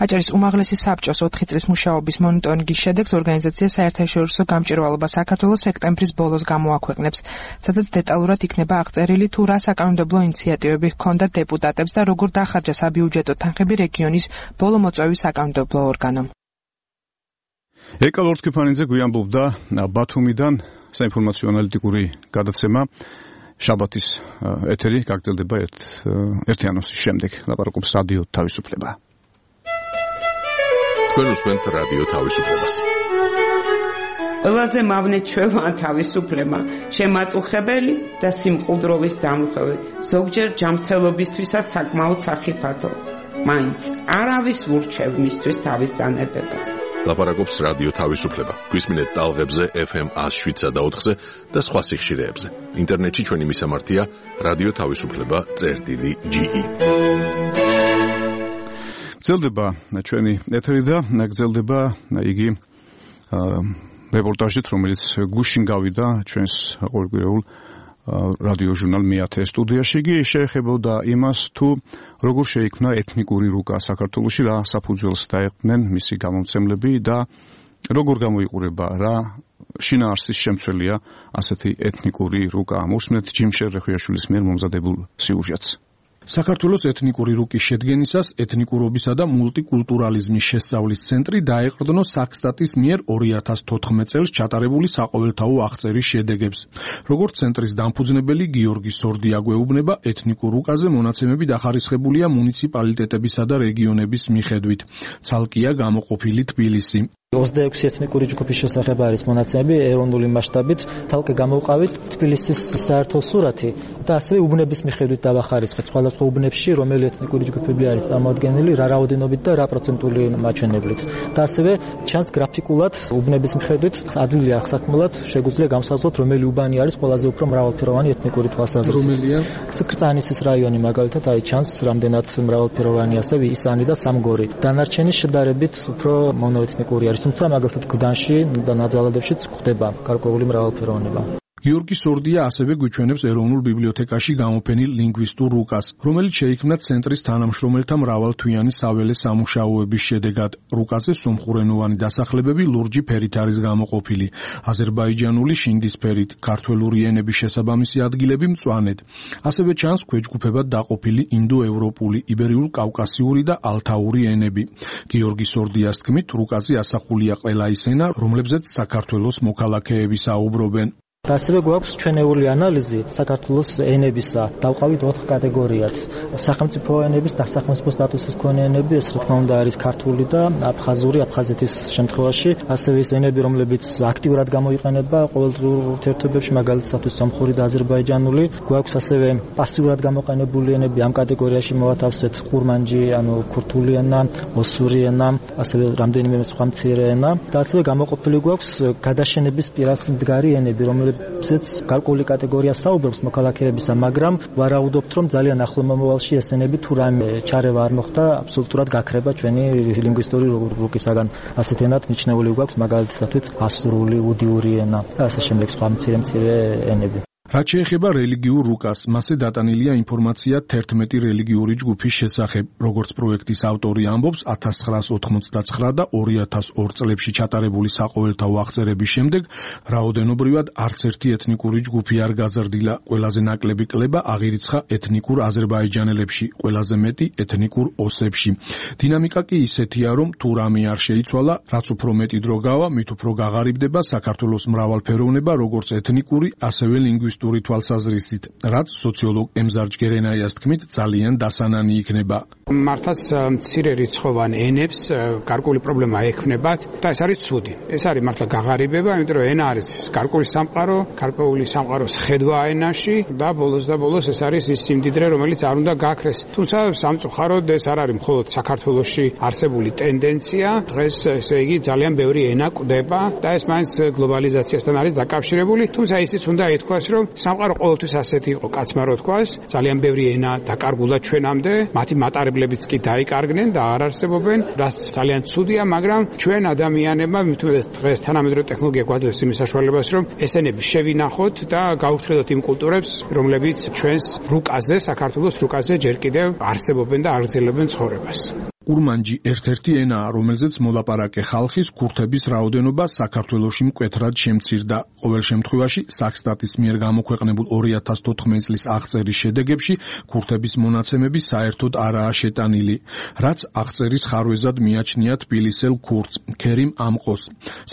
აჭარის უმაღლესი საბჭოს ოთხი წლის მუშაობის მონიტორინგის შედეგს ორგანიზაცია საერთაშორისო გამჭვირვალობა საქართველოს სექტემბრის ბოლოს გამოაქვეყნებს, სადაც დეტალურად იქნება აღწერილი თუ რა საკანონმდებლო ინიციატივები ჰქონდა დეპუტატებს და როგორ დახარჯა საბიუჯეტო თანხები რეგიონის ბოლომოწვევის საკანონმდებლო ორგანომ. ეკა ლორთქიფანიძე გვიამბობდა ბათუმიდან საინფორმაციო ანალიტიკური გადაცემა შაბათის ეთერი გაგრძელდება ერთი ანონსის შემდეგ. ლაპარაკობს რადიო თავისუფლება. თქვენ უსმენთ რადიო თავისუფლებას. ყველაზე მავნე ჩვეულა თავისუფლება, შემაწუხებელი და სიმყუდროვის დამხევი, ზოგჯერ ჯანმრთელობისთვისაც საკმაოდ სახიფათო. მაინც არავის ურჩევ მისთვის თავის დანედებას. ლაპარაკობს რადიო თავისუფლება. გვისმინეთ ტალღებზე ეფ ემ ას შვიდსა და ოთხზე და სხვა სიხშირეებზე. ინტერნეტში ჩვენი მისამართია რადიო თავისუფლება წერტილი ჯი ი. გრძელდება ჩვენი ეთერი და გრძელდება იგი რეპორტაჟით, რომელიც გუშინ გავიდა ჩვენს ყოველკვირეულ რადიო ჟურნალ მეათე სტუდიაში. იგი შეეხებოდა იმას, თუ როგორ შეიქმნა ეთნიკური რუკა საქართველოში, რა საფუძველს დაეყრნენ მისი გამომცემლები და როგორ გამოიყურება, რა შინაარსის შემცველია ასეთი ეთნიკური რუკა. მოსმენთ ჯიმშერ რეხუიაშვილის მიერ მომზადებულ სიუჟეტს. საქართველოს ეთნიკური რუკის შედგენისას ეთნიკურობისა და მულტიკულტურალიზმის შესწავლის ცენტრი დაეყრდნო საქსტატის მიერ ორი ათას თოთხმეტ წელს ჩატარებული საყოველთაო აღწერის შედეგებს. როგორც ცენტრის დამფუძნებელი გიორგი სორდი აგვეუბნება, ეთნიკურ რუკაზე მონაცემები დახარისხებულია მუნიციპალიტეტებისა და რეგიონების მიხედვით. ცალკეა გამოყოფილი თბილისი. ოცდაექვსი ეთნიკური ჯგუფის შესახებ არის მონაცემები ეროვნული მასშტაბით, თალკე გამოვყავით თბილისის საერთო სურათი და ასევე უბნების მიხედვით დავახარიცხეთ სხვადასხვა უბნებში რომელი ეთნიკური ჯგუფები არის წარმოადგენილი, რა რაოდენობით და რა პროცენტული მაჩვენებლით. და ასევე ჩანს გრაფიკულად უბნების მიხედვით ადვილი აღსაქმნელად შეგვიძლია გამოსაზრდოთ რომელი უბანი არის ყველაზე უფრო მრავალფეროვანი ეთნიკური თვალსაზრისით. რომელია? კრწანისის რაიონი მაგალითად აი ჩანს რამდენად მრავალფეროვანი, ასევე ისანი და სამგორი. დანარჩენი შედარებით უფრო მონოეთნიკური არის. თუმცა მაგალითად გდანში და ნაძალადებშიც გვხდება გარკვეული მრავალფეროვნება. გიორგი სორდია ასევე გვიჩვენებს ეროვნულ ბიბლიოთეკაში გამოფენილ ლინგვისტურ რუკას, რომელიც შეიქმნა ცენტრის თანამშრომელთა მრავალთვიანი საველე სამუშაოების შედეგად. რუკაზე სომხურენოვანი დასახლებები ლურჯი ფერით არის გამოყოფილი, აზერბაიჯანული შინდისფერით, ქართველური ენების შესაბამისი ადგილები მწვანედ. ასევე ჩანს ქვეჯგუფებად დაყოფილი ინდოევროპული, იბერიულ-კავკასიური და ალთაური ენები. გიორგი სორდიას თქმით, რუკაზე ასახულია ყველა ის ენა, რომლებზეც საქართველოს მოქალაქეები საუბრობენ. და ასევე გვაქვს ჩვენეული ანალიზი საქართველოს ენებისა. დავყავით ოთხ კატეგორიად. სახელმწიფო ენების და სახელმწიფო სტატუსის მქონე ენები, ეს რა თქმა უნდა არის ქართული და აფხაზური, აფხაზეთის შემთხვევაში, ასევე ის ენები, რომლებიც აქტიურად გამოიყენება ყოველდღიურ ურთიერთობებში, მაგალითად სომხური და აზერბაიჯანული. გვაქვს ასევე პასიურად გამოყენებული ენები, ამ კატეგორიაში მოვათავსეთ ხურმანჯი, ანუ ქურთული ენა, ოსური ენა, ასევე რამდენიმე სხვა მცირე ენა და ასევე გამოყოფილი გვაქვს გადაშენების პირას მდგარი ენები, რომლებიც გარკვეული კატეგორია საუბრობს მოქალაქეებისა, მაგრამ ვარაუდობთ, რომ ძალიან ახლო მომავალში ეს ენები თუ რამე ჩარევა არ მოხდა, აბსოლუტურად გაქრება ჩვენი ლინგვისტური რუკისაგან. ასეთ ენად მიჩნეული გვაქვს მაგალითად ასურული, უდიური ენა და ასე შემდეგ სხვა მცირე მცირე ენები. რაც შეეხება რელიგიურ რუკას, მასზე დატანილია ინფორმაცია თერთმეტი რელიგიური ჯგუფის შესახებ. როგორც პროექტის ავტორი ამბობს, ათას ცხრაას ოთხმოცდაცხრა და ორი ათას ორ წლებში ჩატარებული საყოველთაო აღწერების შემდეგ რაოდენობრივად არც ერთი ეთნიკური ჯგუფი არ გაზრდილა. ყველაზე ნაკლები კლება აღირიცხა ეთნიკურ აზერბაიჯანელებში, ყველაზე მეტი ეთნიკურ ოსებში. დინამიკა კი ისეთია, რომ თუ რამე არ შეიცვალა, რაც უფრო მეტი დრო გავა, მით უფრო გაღარიბდება საქართველოს მრავალფეროვნება, როგორც ეთნიკური, ასევე ლინგვისტური თვალსაზრისით, რაც სოციოლოგ ემზარ ჯგერენაიას თქმით ძალიან დასანანი იქნება. მართლაც მცირე რიცხოვან ენებს გარკვეული პრობლემა ექმნებათ და ეს არის ცუდი. ეს არის მართლა გაღარიბება, იმიტომ რომ ენა არის გარკვეული სამყარო, გარკვეული სამყაროს ხედვა ენაში და ბოლოს და ბოლოს ეს არის ის სიმდიდრე, რომელიც არ უნდა გაქრეს. თუმცა სამწუხაროდ ეს არ არის მხოლოდ საქართველოში არსებული ტენდენცია. დღეს ესე იგი ძალიან ბევრი ენა კვდება და ეს მაინც გლობალიზაციასთან არის დაკავშირებული. თუმცა ისიც უნდა ითქვას, რომ სამყარო ყოველთვის ასეთი იყო, კაცმა რო თქვას, ძალიან ბევრი ენა დაკარგულა ჩვენამდე, მათი მატარებლებიც კი დაიკარგნენ და არ არსებობენ, რაც ძალიან ცუდია, მაგრამ ჩვენ ადამიანებმა მithumedes დღეს თანამედროვე ტექნოლოგია გვაძლევს იმის საშუალებას, რომ ეს ენები შევინახოთ და გავუფრთხილოთ იმ კულტურებს, რომლებიც ჩვენს რუკაზე, საქართველოს რუკაზე ჯერ კიდევ არსებობენ და აგრძელებენ ცხოვრებას. ურმანჯი ერთ-ერთი ენაა, რომელზეც მოლაპარაკე ხალხის ქურთების რაოდენობა საქართველოში მკვეთრად შემცირდა. ყოველ შემთხვევაში, საქსტატის მიერ გამოქვეყნებულ ორი ათას თოთხმეტი წლის აღწერის შედეგებში ქურთების მონაცემები საერთოდ არაა შეტანილი, რაც აღწერის ხარვეზად მიაჩნია თბილისელ ქურთს, ქერიმ ამყოს,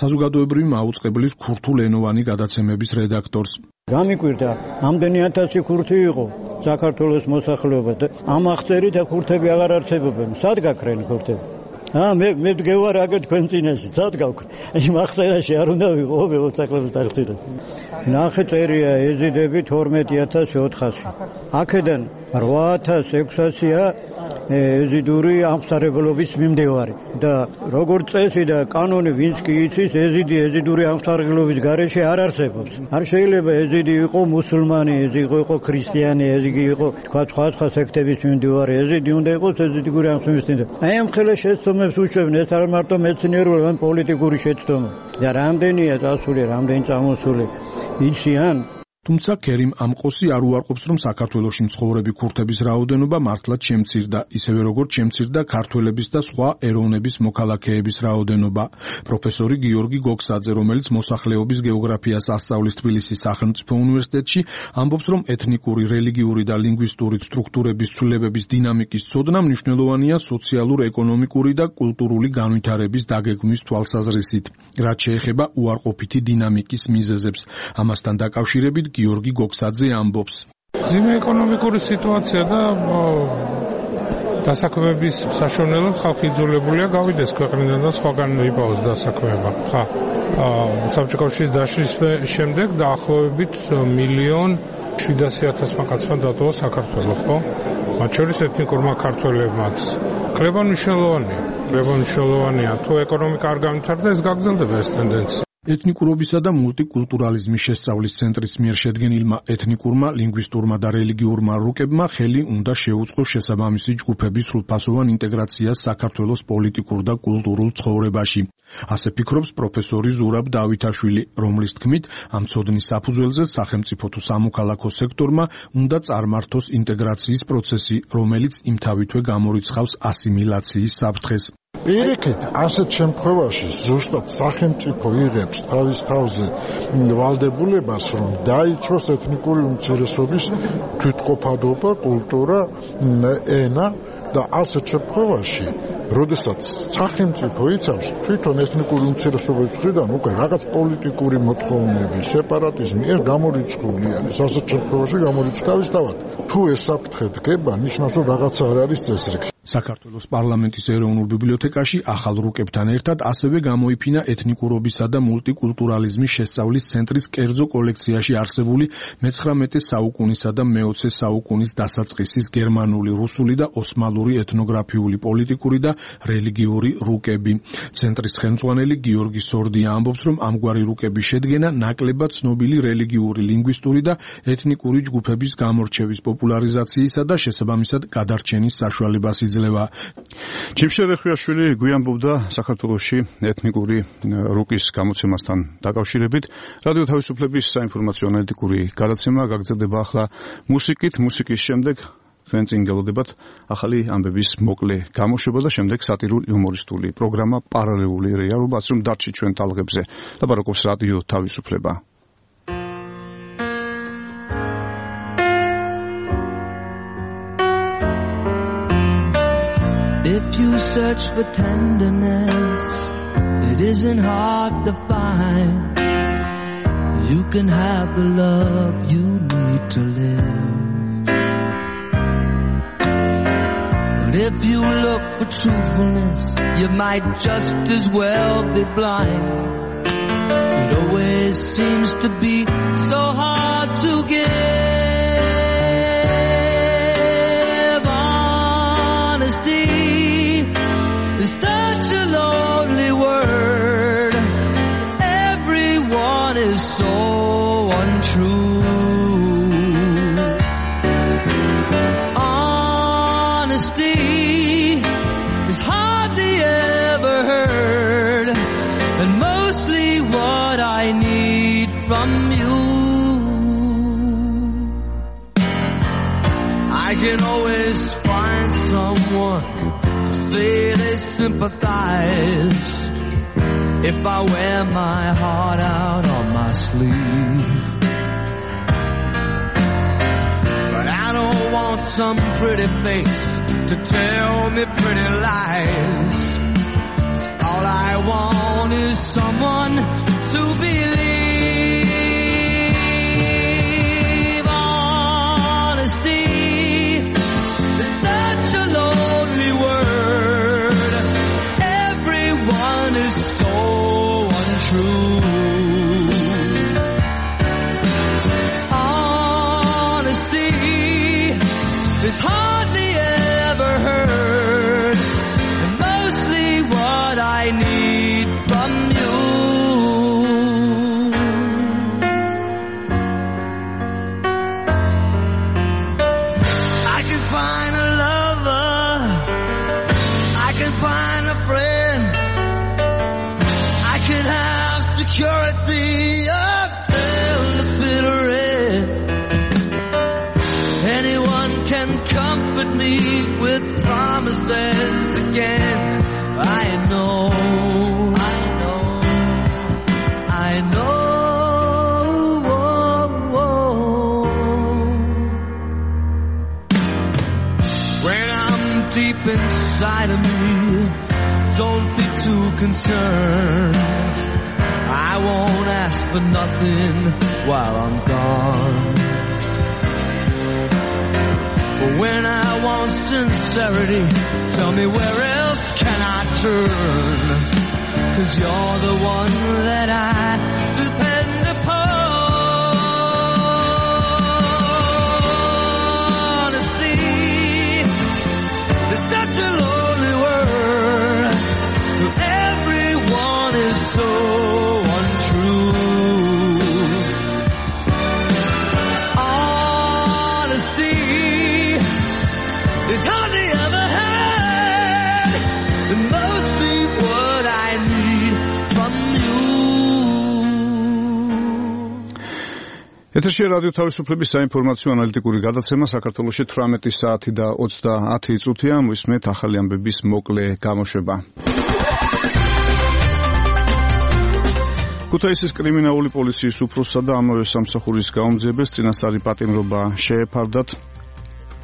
საზოგადოებრივი მაუწყებლის ქურთულენოვანი გადაცემების რედაქტორს. გამიკვირდა, ამდენი ათასი ქურთი იყო საქართველოს მოსახლეობა და ამ აღწერით ქურთები აღარ არსებობენ. სად გაქრენ ქურთები? აა მე მე ვდგევარ აგერ თქვენ წინაშე, სად გავქრენ? იმ აღწერაში არ უნდა ვიყო მოსახლეობის აღწერა. ნახე წერია ეზიდები თორმეტი ათას ოთხასი. აქედან რვა ათას ექვსასია ეზიდური ამსარებლობის მიმდევარი და როგორც წესი და კანონი ვინც კი იცის, ეზიდი ეზიდური ამსარებლობის გარეშე არ არსებობს. არ შეიძლება ეზიდი იყო მუსულმანი, ეზიდი იყო ქრისტიანი, ეზიდი იყო თქვა სხვა სხვა სექტების მიმდევარი, ეზიდი უნდა იყოს ეზიდური ამსარებლობის. აი ამ ხელა შეცდომებს უშვებენ, ეს არ მარტო მეცნიერული, ან პოლიტიკური შეცდომა. და რამდენია წასული, რამდენი წამოსული იციან. თუმცა ქერიმ ამყოსი არ უარყოფს, რომ საქართველოში მცხოვრები ქურთების რაოდენობა მართლაც შემცირდა, ისევე როგორც შემცირდა ქართველების და სხვა ეროვნების მოქალაქეების რაოდენობა. პროფესორი გიორგი გოქსაძე, რომელიც მოსახლეობის გეოგრაფიას ასწავლის თბილისის სახელმწიფო უნივერსიტეტში, ამბობს, რომ ეთნიკური, რელიგიური და ლინგვისტური სტრუქტურების ცვლილებების დინამიკის ცოდნა მნიშვნელოვანია სოციალურ-ეკონომიკური და კულტურული განვითარების დაგეგმვის თვალსაზრისით, რაც შეეხება უარყოფითი დინამიკის მიზეზებს. ამასთან დაკავშირებით გიორგი გოქსაძე ამბობს. ძიმე ეკონომიკური სიტუაცია და დასაქმების საშუალებლად ხალხი იძულებულია გავიდეს ქვეყნიდან და სხვაგან იპოვოს დასაქმება. ხა, საბჭოთა კავშირის დაშლის შემდეგ დაახლოებით მილიონ შვიდასი ათასმა კაცმა დატოვა საქართველოს, ხო? მათ შორის ეთნიკურმა ქართველებმაც. კრება მნიშვნელოვანია. კრება მნიშვნელოვანია. თუ ეკონომიკა არ განვითარდა, ეს გაგრძელდება ეს ტენდენცია. ეთნიკურობისა და მულტიკულტურალიზმის შესწავლის ცენტრის მიერ შედგენილმა ეთნიკურმა, ლინგვისტურმა და რელიგიურმა რუკებმა ხელი უნდა შეუწყოს შესაბამისი ჯგუფების სრულფასოვან ინტეგრაციას საქართველოს პოლიტიკურ და კულტურულ ცხოვრებაში. ასე ფიქრობს პროფესორი ზურაბ დავითაშვილი, რომლის თქმით, ამ ცოდნის საფუძველზე სახელმწიფო თუ სამოქალაქო სექტორმა უნდა წარმართოს ინტეგრაციის პროცესი, რომელიც იმთავითვე გამორიცხავს ასიმილაციის საფრთხეს. პირიქით, ასეთ შემთხვევაში ზუსტად სახელმწიფო იღებს თავის თავზე ვალდებულებას, რომ დაიცვას ეთნიკური უმცირესობის თვითყოფადობა, კულტურა, ენა და ასეთ შემთხვევაში, როდესაც სახელმწიფო იცავს თვითონ ეთნიკური უმცირესობების მხრიდან უკვე რაღაც პოლიტიკური მოთხოვნები, სეპარატიზმი, ეს გამორიცხული არის. ასეთ შემთხვევაში გამორიცხავის თავად. თუ ეს საფრთხე დგება, ნიშნავს, რომ რაღაცა არ არის წესრიგი. საქართველოს პარლამენტის ეროვნულ ბიბლიოთეკაში ახალ რუკებთან ერთად ასევე გამოიფინა ეთნიკურობისა და მულტიკულტურალიზმის შესწავლის ცენტრის კერძო კოლექციაში არსებული მეცხრამეტე საუკუნისა და მეოცე საუკუნის დასაწყისის გერმანული, რუსული და ოსმალური ეთნოგრაფიული, პოლიტიკური და რელიგიური რუკები. ცენტრის ხელმძღვანელი გიორგი სორდია ამბობს, რომ ამგვარი რუკების შედგენა ნაკლებად ცნობილი რელიგიური, ლინგვისტური და ეთნიკური ჯგუფების გამორჩევის, პოპულარიზაციისა და შესაბამისად გადარჩენის საშუალებას იძლევა. ჯიმშერ ეხვიაშვილი გვიანბობდა საქართველოში ეთნიკური რუკის გამოცემასთან დაკავშირებით. რადიო თავისუფლების საინფორმაციო ანალიტიკური გადაცემა გაგრძელდება ახლა მუსიკით. მუსიკის შემდეგ თქვენ წინ გელოდებათ ახალი ამბების მოკლე გამოშვება და შემდეგ სატირული იუმორისტული პროგრამა პარალელური რეალობა, ასე რომ დარჩით ჩვენ თალღებზე. ლაპარაკობს რადიო თავისუფლება. If you search for tenderness, it isn't hard to find. You can have the love you need to live. But if you look for truthfulness, you might just as well be blind. It always seems to be so hard to give. Honesty is such a lonely word. Everyone is so untrue. Honesty is hardly ever heard, and mostly what I need from you. I can always find someone to say they sympathize if I wear my heart out on my sleeve. But I don't want some pretty face to tell me pretty lies. All I want is someone to believe. Honesty is such a lonely word. Everyone is so untrue. Honesty is hardly ever heard, and mostly what I need from you. I can find a lover, I can find a friend, I can have security until the bitter end. Anyone can comfort me with promises again. I know, I know, I know. When I'm deep inside of me, don't be too concerned. I won't ask for nothing while I'm gone. But when I want sincerity. Tell me where else can I turn? 'Cause you're the one that I depend upon. Honesty is such a lonely word. Everyone is so untrue. Honesty is hardly ever had, and mostly what I need from you. ეთერში რადიო თავისუფლების საინფორმაციო ანალიტიკური გადაცემა საქართველოში თვრამეტი საათი და ოცდაათი წუთია. მისმენთ ახალი ამბების მოკლე გამოშვება. ქუთაისის კრიმინალური პოლიციის უფროსსა და ამავე სამსახურის გაუმძიებელს წინასწარი პატიმრობა შეეფარდათ,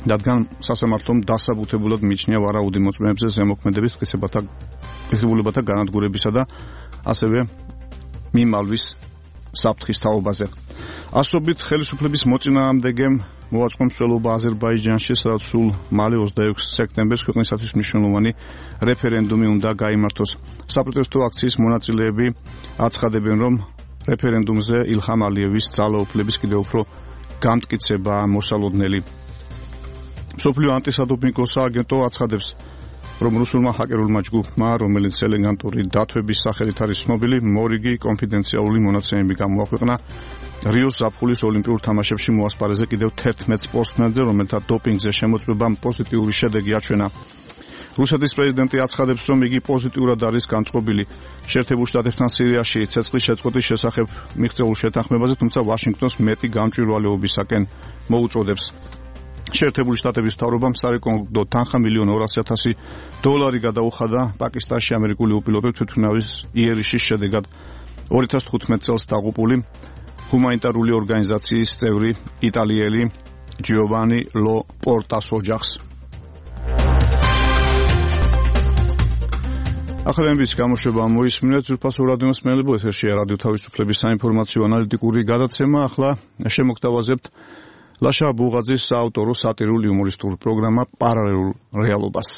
რადგან სასამართლომ დასაბუთებულად მიჩნია ვარაუდი მოწმეებზე ზემოქმედების მტკიცებულებათა განადგურებისა და ასევე მიმალვის საფრთხის თაობაზე. ასობით ხელისუფლების მოწინააღმდეგემ მოაწყო მსვლელობა აზერბაიჯანში, სადაც სულ მალე ოცდაექვსი სექტემბერს ქვეყნისათვის მნიშვნელოვანი რეფერენდუმი უნდა გაიმართოს. საპროტესტო აქციის მონაწილეები აცხადებენ, რომ რეფერენდუმზე ილჰამ ალიევის ძალაუფლების კიდევ უფრო გამტკიცება მოსალოდნელი. მსოფლიო ანტისადოპინგო სააგენტო აცხადებს, რომ რუსულმა ჰაკერულმა ჯგუფმა, რომელიც ელეგანტური დათვების სახელით არის ცნობილი, მორიგი კონფიდენციალური მონაცემები გამოაქვეყნა რიოს ზაფხულის ოლიმპიურ თამაშებში მოასპარეზე კიდევ თერთმეტ სპორტსმენზე, რომელთა დოპინგზე შემოწმებამ პოზიტიური შედეგი აჩვენა. რუსეთის პრეზიდენტი აცხადებს, რომ იგი პოზიტიურად არის განწყობილი შეერთებულ შტატებთან სირიაში ცეცხლის შეწყვეტის შესახებ მიღწეულ შეთანხმებაზე, თუმცა ვაშინგტონს მეტი გამჭვირვალეობისაკენ მოუწოდებს. შეერთებული შტატების მთავრობამ სარეკომენდო თანხა მილიონ ორასი ათასი დოლარი გადაუხადა პაკისტანში ამერიკული უპილოტო თვითმფრინავის იერიშის შედეგად. ორი ათას თხუთმეტ წელს დაღუპული ჰუმანიტარული ორგანიზაციის წევრი იტალიელი ჯიოვანი ლო პორტას ოჯახს. ახალი ამბების გამოშვება მოისმინეთ ძვირფასო რადიო მსმენელებო, ეთერშია რადიო თავისუფლების საინფორმაციო ანალიტიკური გადაცემა. ახლა შემოგთავაზებთ ლაშა ბუღაძის საავტორო სატირული იუმორისტული პროგრამა პარალელურ რეალობას.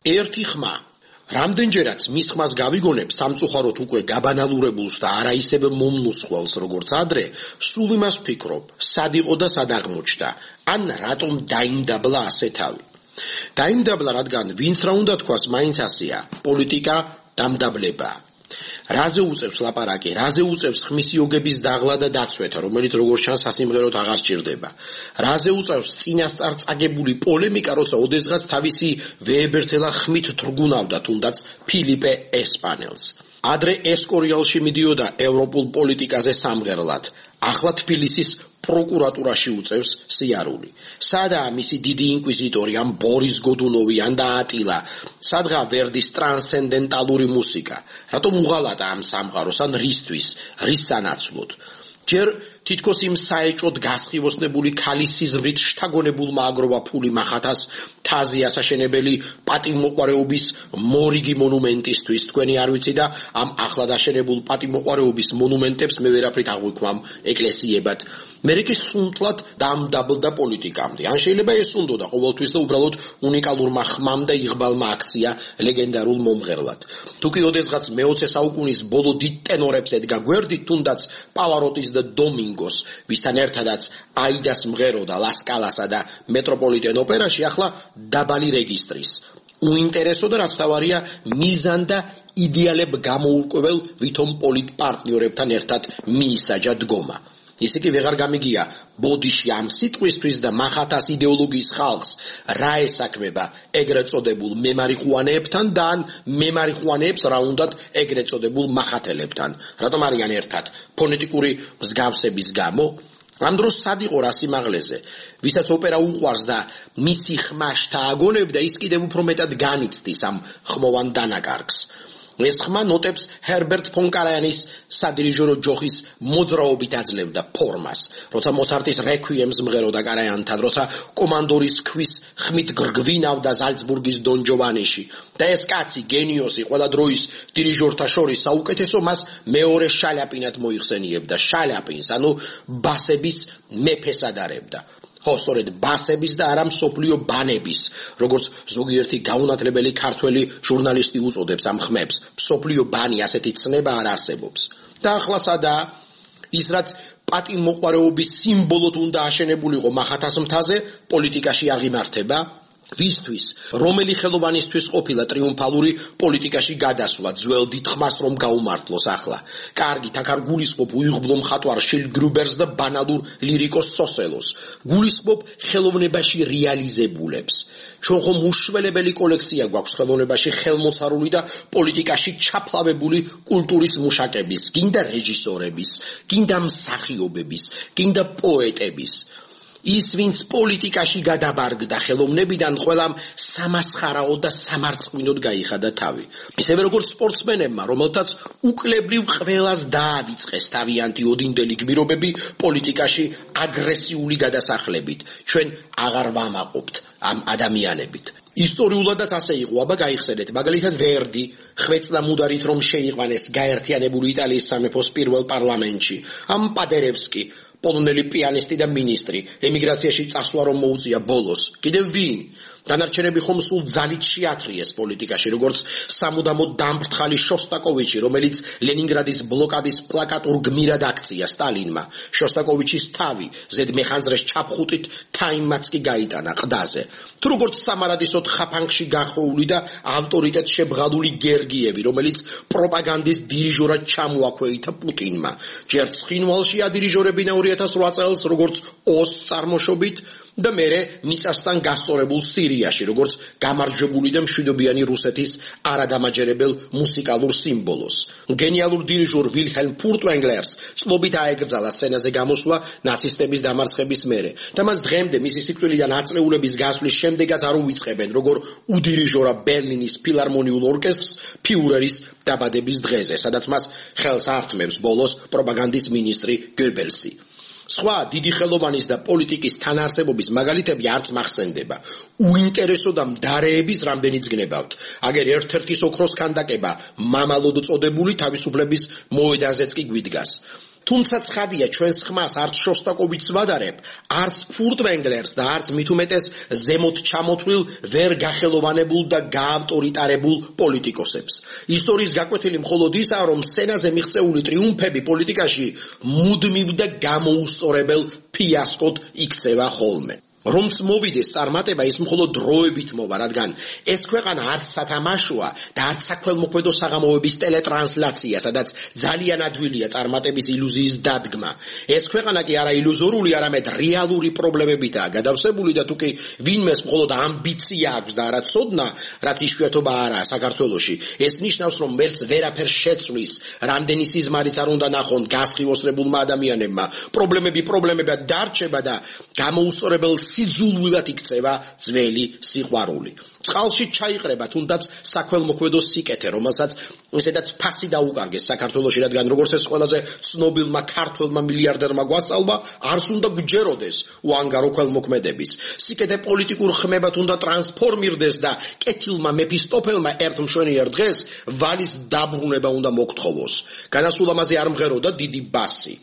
ერთი ხმა. რამდენჯერაც მის ხმას გავიგონებ სამწუხაროდ უკვე გაბანალურებულს და არა ისევ მომნუსხველს როგორც ადრე, სულ იმას ვფიქრობ, სად იყო და სად აღმოჩნდა, ან რატომ დაიმდაბლა ასე თავი. დაიმდაბლა, რადგან ვინც რა უნდა თქვას, მაინც ასეა, პოლიტიკა დამდაბლება. რაზე უწევს ლაპარაკი, რაზე უწევს ხმის იოგების დაღლა და დაცვეთა, რომელიც როგორც ჩანს სასიმღეროდ აღარ სჭირდება. რაზე უწევს წინასწარ წაგებული პოლემიკა, როცა ოდესღაც თავისი ვეებერთელა ხმით თრგუნავდა თუნდაც ფილიპე ესპანელს. ადრე ესკორიალში მიდიოდა ევროპულ პოლიტიკაზე სამღერლად, ახლა თბილისის პროკურატურაში უწევს სიარული. სადაა მისი დიდი ინკვიზიტორი, ან ბორის გოდუნოვი, ან და ატილა? სადღა ვერდის ტრანსცენდენტალური მუსიკა? რატომ უღალატა ამ სამყაროს, ან რისთვის, რის სანაცვლოდ? ჯერ თითქოს იმ საეჭოდ გასხივოსნებული ქალის სიზმრით შთაგონებულმა აგროვა ფული მახათას თაზი ასაშენებელი პატიმოყვარეობის მორიგი მონუმენტისთვის. თქვენი არ ვიცი და ამ ახლად აშენებულ პატიმოყვარეობის მონუმენტებს მე ვერაფრით აღვიქვამ ეკლესიებად. მე კი სუნთლად დამდაბლდა პოლიტიკამდე. ან შეიძლება ეს უნდოდა ყოველთვის და უბრალოდ უნიკალურმა ხმამ და იღბალმა აქცია ლეგენდარულ მომღერლად. თუ კი ოდესღაც მეოცე საუკუნის ბოლო დიდ ტენორებს ედგა გვერდით, თუნდაც პავაროტის და დომინგოს, ვისთან ერთადაც აიდას მღეროდა ლასკალასა და მეტროპოლიტენ ოპერაში, ახლა დაბალი რეგისტრის. უინტერესო და რაც თავარია, მიზან და იდეალებ გამოურკვეველ ვითომ პოლიტპარტნიორებთან ერთად მიისაჯა დგომა. ისე კი ვეღარ გამიგია ბოდიში ამ სიტყვისთვის და მახათას იდეოლოგიის ხალხს რა ესაქმება ეგრეთ წოდებულ მემარიხუანეებთან და ან მემარიხუანეებს რა უნდათ ეგრეთ წოდებულ მახათელებთან. რატომ არიან ერთად? ფონეტიკური მსგავსების გამო? ამ დროს სად იყო რა სიმაღლეზე? ვისაც ოპერა უყვარს და მისი ხმა შთააგონებდა, ის კიდევ უფრო მეტად განიცდის ამ ხმოვან დანაკარგს. ეს ხმა ნოტებს ჰერბერტ ფონ კარაიანის სადირიჟორო ჯოხის მოძრაობით აძლევდა ფორმას, როცა მოცარტის რეკვიემს მღეროდა კარაიანთან, როცა კომანდორის ქვის ხმით გრგვინავდა ზალცბურგის დონ ჯოვანიში და ეს კაცი გენიოსი ყველა დროის დირიჟორთა შორის საუკეთესო მას მეორე შალიაპინად მოიხსენიებდა, შალიაპინს, ანუ ბასების მეფეს ადარებდა. ხო, სწორედ ბასების და არა მსოფლიო ბანების, როგორც ზოგიერთი გაუნათლებელი ქართველი ჟურნალისტი უწოდებს ამ ხმებს, მსოფლიო ბანი ასეთი ცნება არ არსებობს. და ახლა სადაა ის, რაც პატიმოყვარეობის სიმბოლოდ უნდა აშენებულიყო მახათას მთაზე, პოლიტიკაში აღიმართება. ვისთვის, რომელი ხელოვანისთვის ყოფილა ტრიუმფალური პოლიტიკაში გადასვლა, ძველ დიდხმას რომ გაუმართლოს ახლა. კარგით, აქ არ გულისხმობ უიღბლო მხატვარ შილ გრუბერს და ბანალურ ლირიკოს სოსელოს. გულისხმობ ხელოვნებაში რეალიზებულებს. ჩვენ ხომ უშველებელი კოლექცია გვაქვს ხელოვნებაში ხელმოცარული და პოლიტიკაში ჩაფლავებული კულტურის მუშაკების, გინდა რეჟისორების, გინდა მსახიობების, გინდა პოეტების. ის, ვინც პოლიტიკაში გადაბარგდა ხელოვნებიდან, ყველამ სამასხარაოდ და სამარცხვინოდ გაიხადა თავი. ისევე როგორც სპორტსმენებმა, რომელთაც უკლებრივ ყველას დაავიწყეს თავიანთი ოდინდელი გმირობები პოლიტიკაში აგრესიული გადასახლებით. ჩვენ აღარ ვამაყობთ ამ ადამიანებით. ისტორიულადაც ასე იყო, აბა გაიხსენეთ, მაგალითად ვერდი, ხვეწდა მუდარით რომ შეიყვანეს გაერთიანებული იტალიის სამეფოს პირველ პარლამენტში, ამ პადერევსკი, პოლონელი პიანისტი და მინისტრი, ემიგრაციაში წასვლა რომ მოუწია ბოლოს. კიდევ ვინ? დანარჩენები ხომ სულ ძალით შეათრიეს პოლიტიკაში, როგორც სამუდამოდ დამფრთხალი შოსტაკოვიჩი, რომელიც ლენინგრადის ბლოკადის პლაკატურ გმირად აქცია სტალინმა. შოსტაკოვიჩის თავი ზედმეხანძრეს ჩაფხუტით თაიმმაც კი გაიტანა ყდაზე. თუ როგორც სამარადისოდ ხაფანგში გახოვული და ავტორიტეტ შებრალული გერგიევი, რომელიც პროპაგანდის დირიჟორად ჩამოაქვეითა პუტინმა. ჯერ ცხინვალში ადირიჟორებინა ორი ათას ოთხ წელს, როგორც ოს წარმოშობით და მერე მიწასთან გასწორებულ სირიაში, როგორც გამარჯვებული და მშვიდობიანი რუსეთის არადამაჯერებელ მუსიკალურ სიმბოლოს. გენიალურ დირიჟორ ვილჰელმ ფურტვენგლერს წლობით აეკრძალა სცენაზე გამოსვლა ნაცისტების დამარცხების მერე და მას დღემდე მისი სიკვდილიდან აწლეულების გასვლის შემდეგაც არ უიწყებენ, როგორ უდირიჟორა ბერლინის ფილარმონიულ ორკესტრს ფიურერის დაბადების დღეზე, სადაც მას ხელს ართმევს ბოლოს პროპაგანდის მინისტრი გებელსი. სხვა დიდი ხელოვანის და პოლიტიკის თანაარსებობის მაგალითები არც მახსენდება. უინტერესო და მდარეების რამდენიც გნებავთ. აგერ ერთ-ერთის ოქროს ქანდაკება მამალოდ წოდებული თავისუფლების მოედანზეც კი გვიდგას. თუმცა ცხადია, ჩვენს ხმას არც შოსტაკოვიჩს ვადარებ, არც ფურტვენგლერს და არც მით უმეტეს ზემოთ ჩამოთვლილ ვერ გახელოვანებულ და გაავტორიტარებულ პოლიტიკოსებს. ისტორიის გაკვეთილი მხოლოდ ისაა, რომ სცენაზე მიღწეული ტრიუმფები პოლიტიკაში მუდმივ და გამოუსწორებელ ფიასკოდ იქცევა ხოლმე. რომს მოვიდეს წარმატება, ის მხოლოდ დროებით მოვა, რადგან ეს ქვეყანა არც სათამაშოა და არც საქველმოქმედო საღამოების ტელეტრანსლაცია, სადაც ძალიან ადვილია წარმატების ილუზიის დადგმა. ეს ქვეყანა კი არა ილუზორული, არამედ რეალური პრობლემებითაა გადავსებული და თუკი ვინმეს მხოლოდ ამბიცია აქვს და არა ცოდნა, რაც იშვიათობა არაა საქართველოში, ეს ნიშნავს, რომ ვერც ვერაფერს შეცვლის, რამდენი სიზმარიც არ უნდა ნახონ გასხივოსებულმა ადამიანებმა. პრობლემები პრობლემებად დარჩება და გამოუსწორებელ სიძულვილად იქცევა ძველი სიყვარული. წყალში ჩაიყრება თუნდაც საქველმოქმედო სიკეთე, რომელსაც ისედაც ფასი დაუკარგეს საქართველოში, რადგან როგორც ეს ყველაზე ცნობილმა ქართველმა მილიარდერმა გვასწავლა, არც უნდა გჯეროდეს უანგარო ქველმოქმედების. სიკეთე პოლიტიკურ ხმებად უნდა ტრანსფორმირდეს და კეთილმა მეფისტოფელმა ერთ მშვენიერ დღეს ვალის დაბრუნება უნდა მოგთხოვოს. განასულ ამაზე არ მღეროდა დიდი ბასი.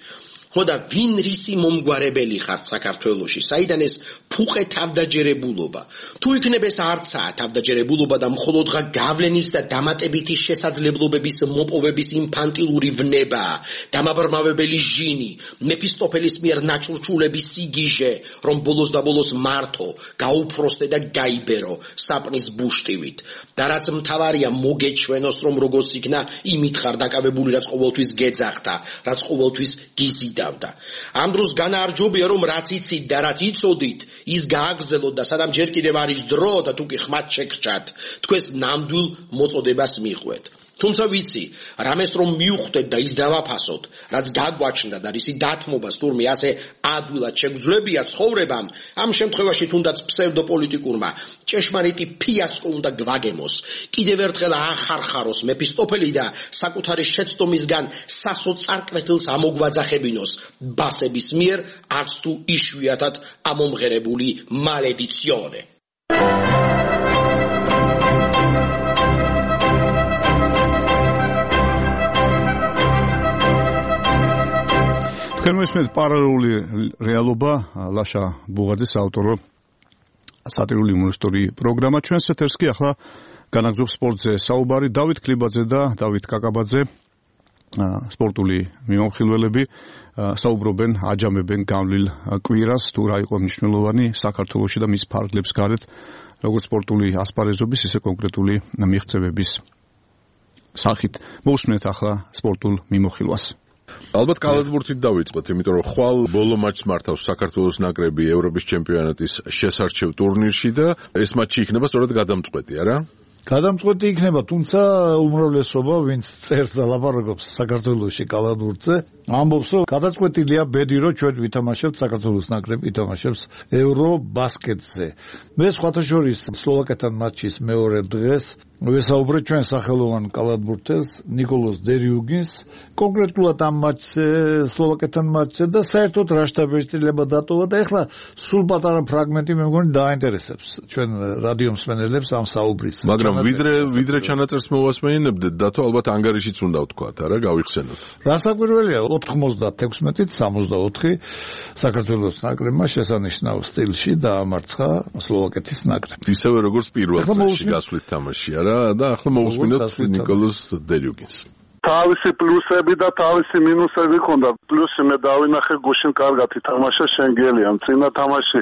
ხო და ვინ რისი მომგვარებელი ხართ საქართველოში, საიდან ეს ფუყე თავდაჯერებულობა? თუ იქნებ ეს არცაა თავდაჯერებულობა და მხოლოდღა გავლენის და დამატებითი შესაძლებლობების მოპოვების ინფანტილური ვნება, დამაბრმავებელი ჟინი, მეფისტოფელის მიერ ნაჭურჭულების სიგიჟე, რომ ბოლოს და ბოლოს მართო, გაუფროსტე და გაიბერო საპნის ბუშტივით. და რაც მთავარია, მოგეჩვენოს, რომ როგორც იქნა იმით ხარ დაკავებული, რაც ყოველთვის გეძახდა, რაც ყოველთვის გიზიდა. ამ დროს განაარჯობია, რომ რაც იცით და რაც იცოდით, ის გააგრძელოთ და სანამ ჯერ კიდევ არის დრო და თუ კი ხმად შეგრჩათ, თქვენს ნამდვილ მოწოდებას მიხვეთ. თუმცა ვიცი, რამეს რომ მივხვდეთ და ის დავაფასოთ, რაც გაგვაჩნდა და რისი დათმობა სტურმი ასე ადვილად შეგვძლებია ცხოვრებამ, ამ შემთხვევაში თუნდაც ფსევდოპოლიტიკურმა ჭეშმარიტი ფიასკო უნდა გვაგემოს. კიდევ ერთხელ ახარხაროს მეფისტოფელი და საკუთარი შეცდომისგან სასოწარკვეთილს ამოგვაძახებინოს ბასების მიერ არც თუ იშვიათად ამომღერებული მალედიციონე. თქვენ მოსმენთ პარალელური რეალობა, ლაშა ბუღაძის ავტორო სატირული იუმორისტული პროგრამა. ჩვენს ეთერს კი ახლა განაგზობს სპორტზე საუბარი. დავით ქლიბაძე და დავით კაკაბაძე, სპორტული მიმოხილველები, საუბრობენ, აჯამებენ გავლილ კვირას, თუ რა იყო მნიშვნელოვანი საქართველოში და მის ფარგლებს გარეთ, როგორც სპორტული ასპარეზობის, ისე კონკრეტული მიღწევების სახით. მოусმენთ ახლა სპორტულ მიმოხილვას. ალბათ კალათბურთით დავიწყოთ, იმიტომ რომ ხვალ ბოლო მატჩს მართავს საქართველოს ნაკრები ევროპის ჩემპიონატის შესარჩევ ტურნირში და ეს მატჩი იქნება სწორედ გადამწყვეტი, არა? გადამწყვეტი იქნება, თუმცა უმრავლესობა, ვინც წერს და ლაპარაკობს საქართველოში კალათბურთზე, ამბობს, რომ გადაწყვეტილია ბედი, რომ ჩვენ ვითამაშებთ საქართველოს ნაკრები ითამაშებს ევრობასკეტზე. მე სხვათა შორის სლოვაკეთთან მატჩის მეორე დღეს ვესაუბრე ჩვენ სახელოვან კალათბურთელს ნიკოლოზ დერიუგინს, კონკრეტულად ამ მატჩზე, სლოვაკეთთან მატჩზე და საერთოდ რა შთაბეჭდილება დატოვა და ეხლა სულ პატარა ფრაგმენტი მე მგონი დააინტერესებს ჩვენ რადიო მსმენელებს ამ საუბრის. მაგრამ ვიდრე ვიდრე ჩანაწერს მოვასმენინებდეთ, დათო ალბათ ანგარიშიც უნდა ვთქვათ, არა, გავიხსენოთ. რასაკვირველია, ოთხმოცდათექვსმეტით სამოცდაოთხი საქართველოს ნაკრებმა შესანიშნავ სტილში დაამარცხა სლოვაკეთის ნაკრებს. ისევე როგორც პირველ წელში გასვლით თამაში, არა? და ახლა მოვუსმინოთ ნიკოლოზ დერიუგინს. თავისი პლუსები და თავისი მინუსები ჰქონდა. პლუსი მე დავინახე გუშინ კარგად ითამაშა შენგელიამ. წინა თამაში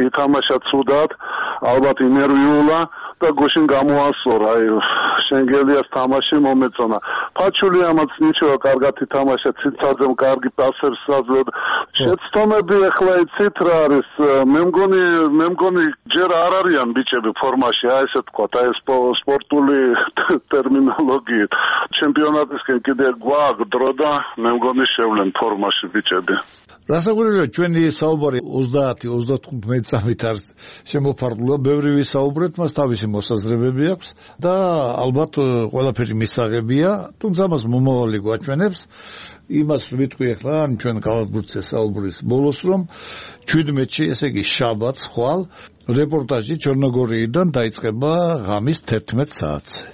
ითამაშა ცუდად, ალბათ ინერვიულა და გუშინ გამოასწორა. აი შენგელიას თამაში მომეწონა. ფაჩულიამაც ნიჩოა კარგად ითამაშა, ციცაძემ კარგი პასებს აძლევდა. შეცდომები ახლა იცით რა არის? მე მგონი მე მგონი ჯერ არ არიან ბიჭები ფორმაში, აი ესე თქვა, აი სპორტული ტერმინოლოგიით. ჩემპიონატისკენ კიდე გვაქვს დრო და მე მგონი შევლენ ფორმაში ბიჭები. რასაკვირველია, ჩვენი საუბარი ოცდაათი ოცდათხუთმეტი წამით არის შემოფარგლულა, ბევრი ვისაუბრეთ, მას თავისი მოსაზრებები აქვს და ალბათ ყველაფერი მისაღებია, თუმცა მას მომავალი გვაჩვენებს. იმას ვიტყვი ახლა ჩვენ კალათბურთზე საუბრის ბოლოს, რომ ჩვიდმეტში, ესე იგი შაბათს ხვალ რეპორტაჟი ჩერნოგორიიდან დაიწყება ღამის თერთმეტ საათზე.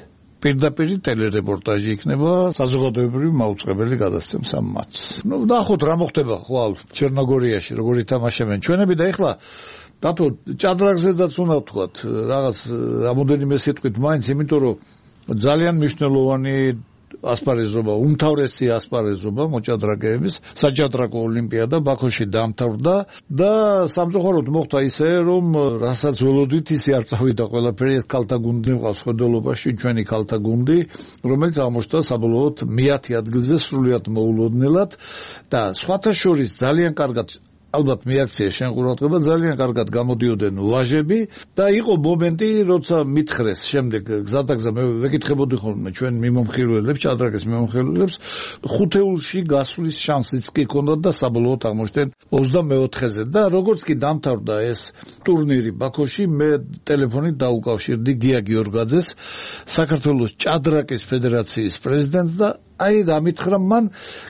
პირდაპირ ტელერეპორტაჟი იქნება, საზოგადოებრივი მაუწყებელი გადასცემს ამ მატჩს. ნუ ნახოთ რა მოხდება ხვალ ჩერნოგორიაში, როგორ ითამაშებენ ჩვენები და ეხლა დათო ჭადრაგზედაც უნდა ვთქვათ, რაღაც რამოდენიმე სიტყვით მაინც, იმიტომ რომ ძალიან მნიშვნელოვანი ასპარეზობა, უმთავრესი ასპარეზობა მოჭადრაკეების საჭადრაკო ოლიმპიადა ბაქოში დამთავრდა და სამწუხაროდ მოხდა ისე, რომ რასაც ველოდით, ისე არ წავიდა ყველაფერი. ეს ქალთა გუნდი მყავს ხედველობაში, ჩვენი ქალთა გუნდი, რომელიც აღმოჩნდა საბოლოოდ მეათე ადგილზე სრულიად მოულოდნელად და სხვათა შორის ძალიან კარგად ალბათ მიაქცია შენ ყურადღება, ძალიან კარგად გამოდიოდნენ ვაჟები და იყო მომენტი, როცა მითხრეს შემდეგ გზადაგზა მე ვეკითხებოდი ხოლმე ჩვენ მიმომხილველებს, ჭადრაკის მიმომხილველებს, ხუთეულში გასვლის შანსიც კი ჰქონდათ და საბოლოოდ აღმოჩნდნენ ოცდამეოთხეზე და როგორც კი დამთავრდა ეს ტურნირი ბაქოში, მე ტელეფონით დაუკავშირდი გია გიორგაძეს, საქართველოს ჭადრაკის ფედერაციის პრეზიდენტს და აი რა მითხრა მან,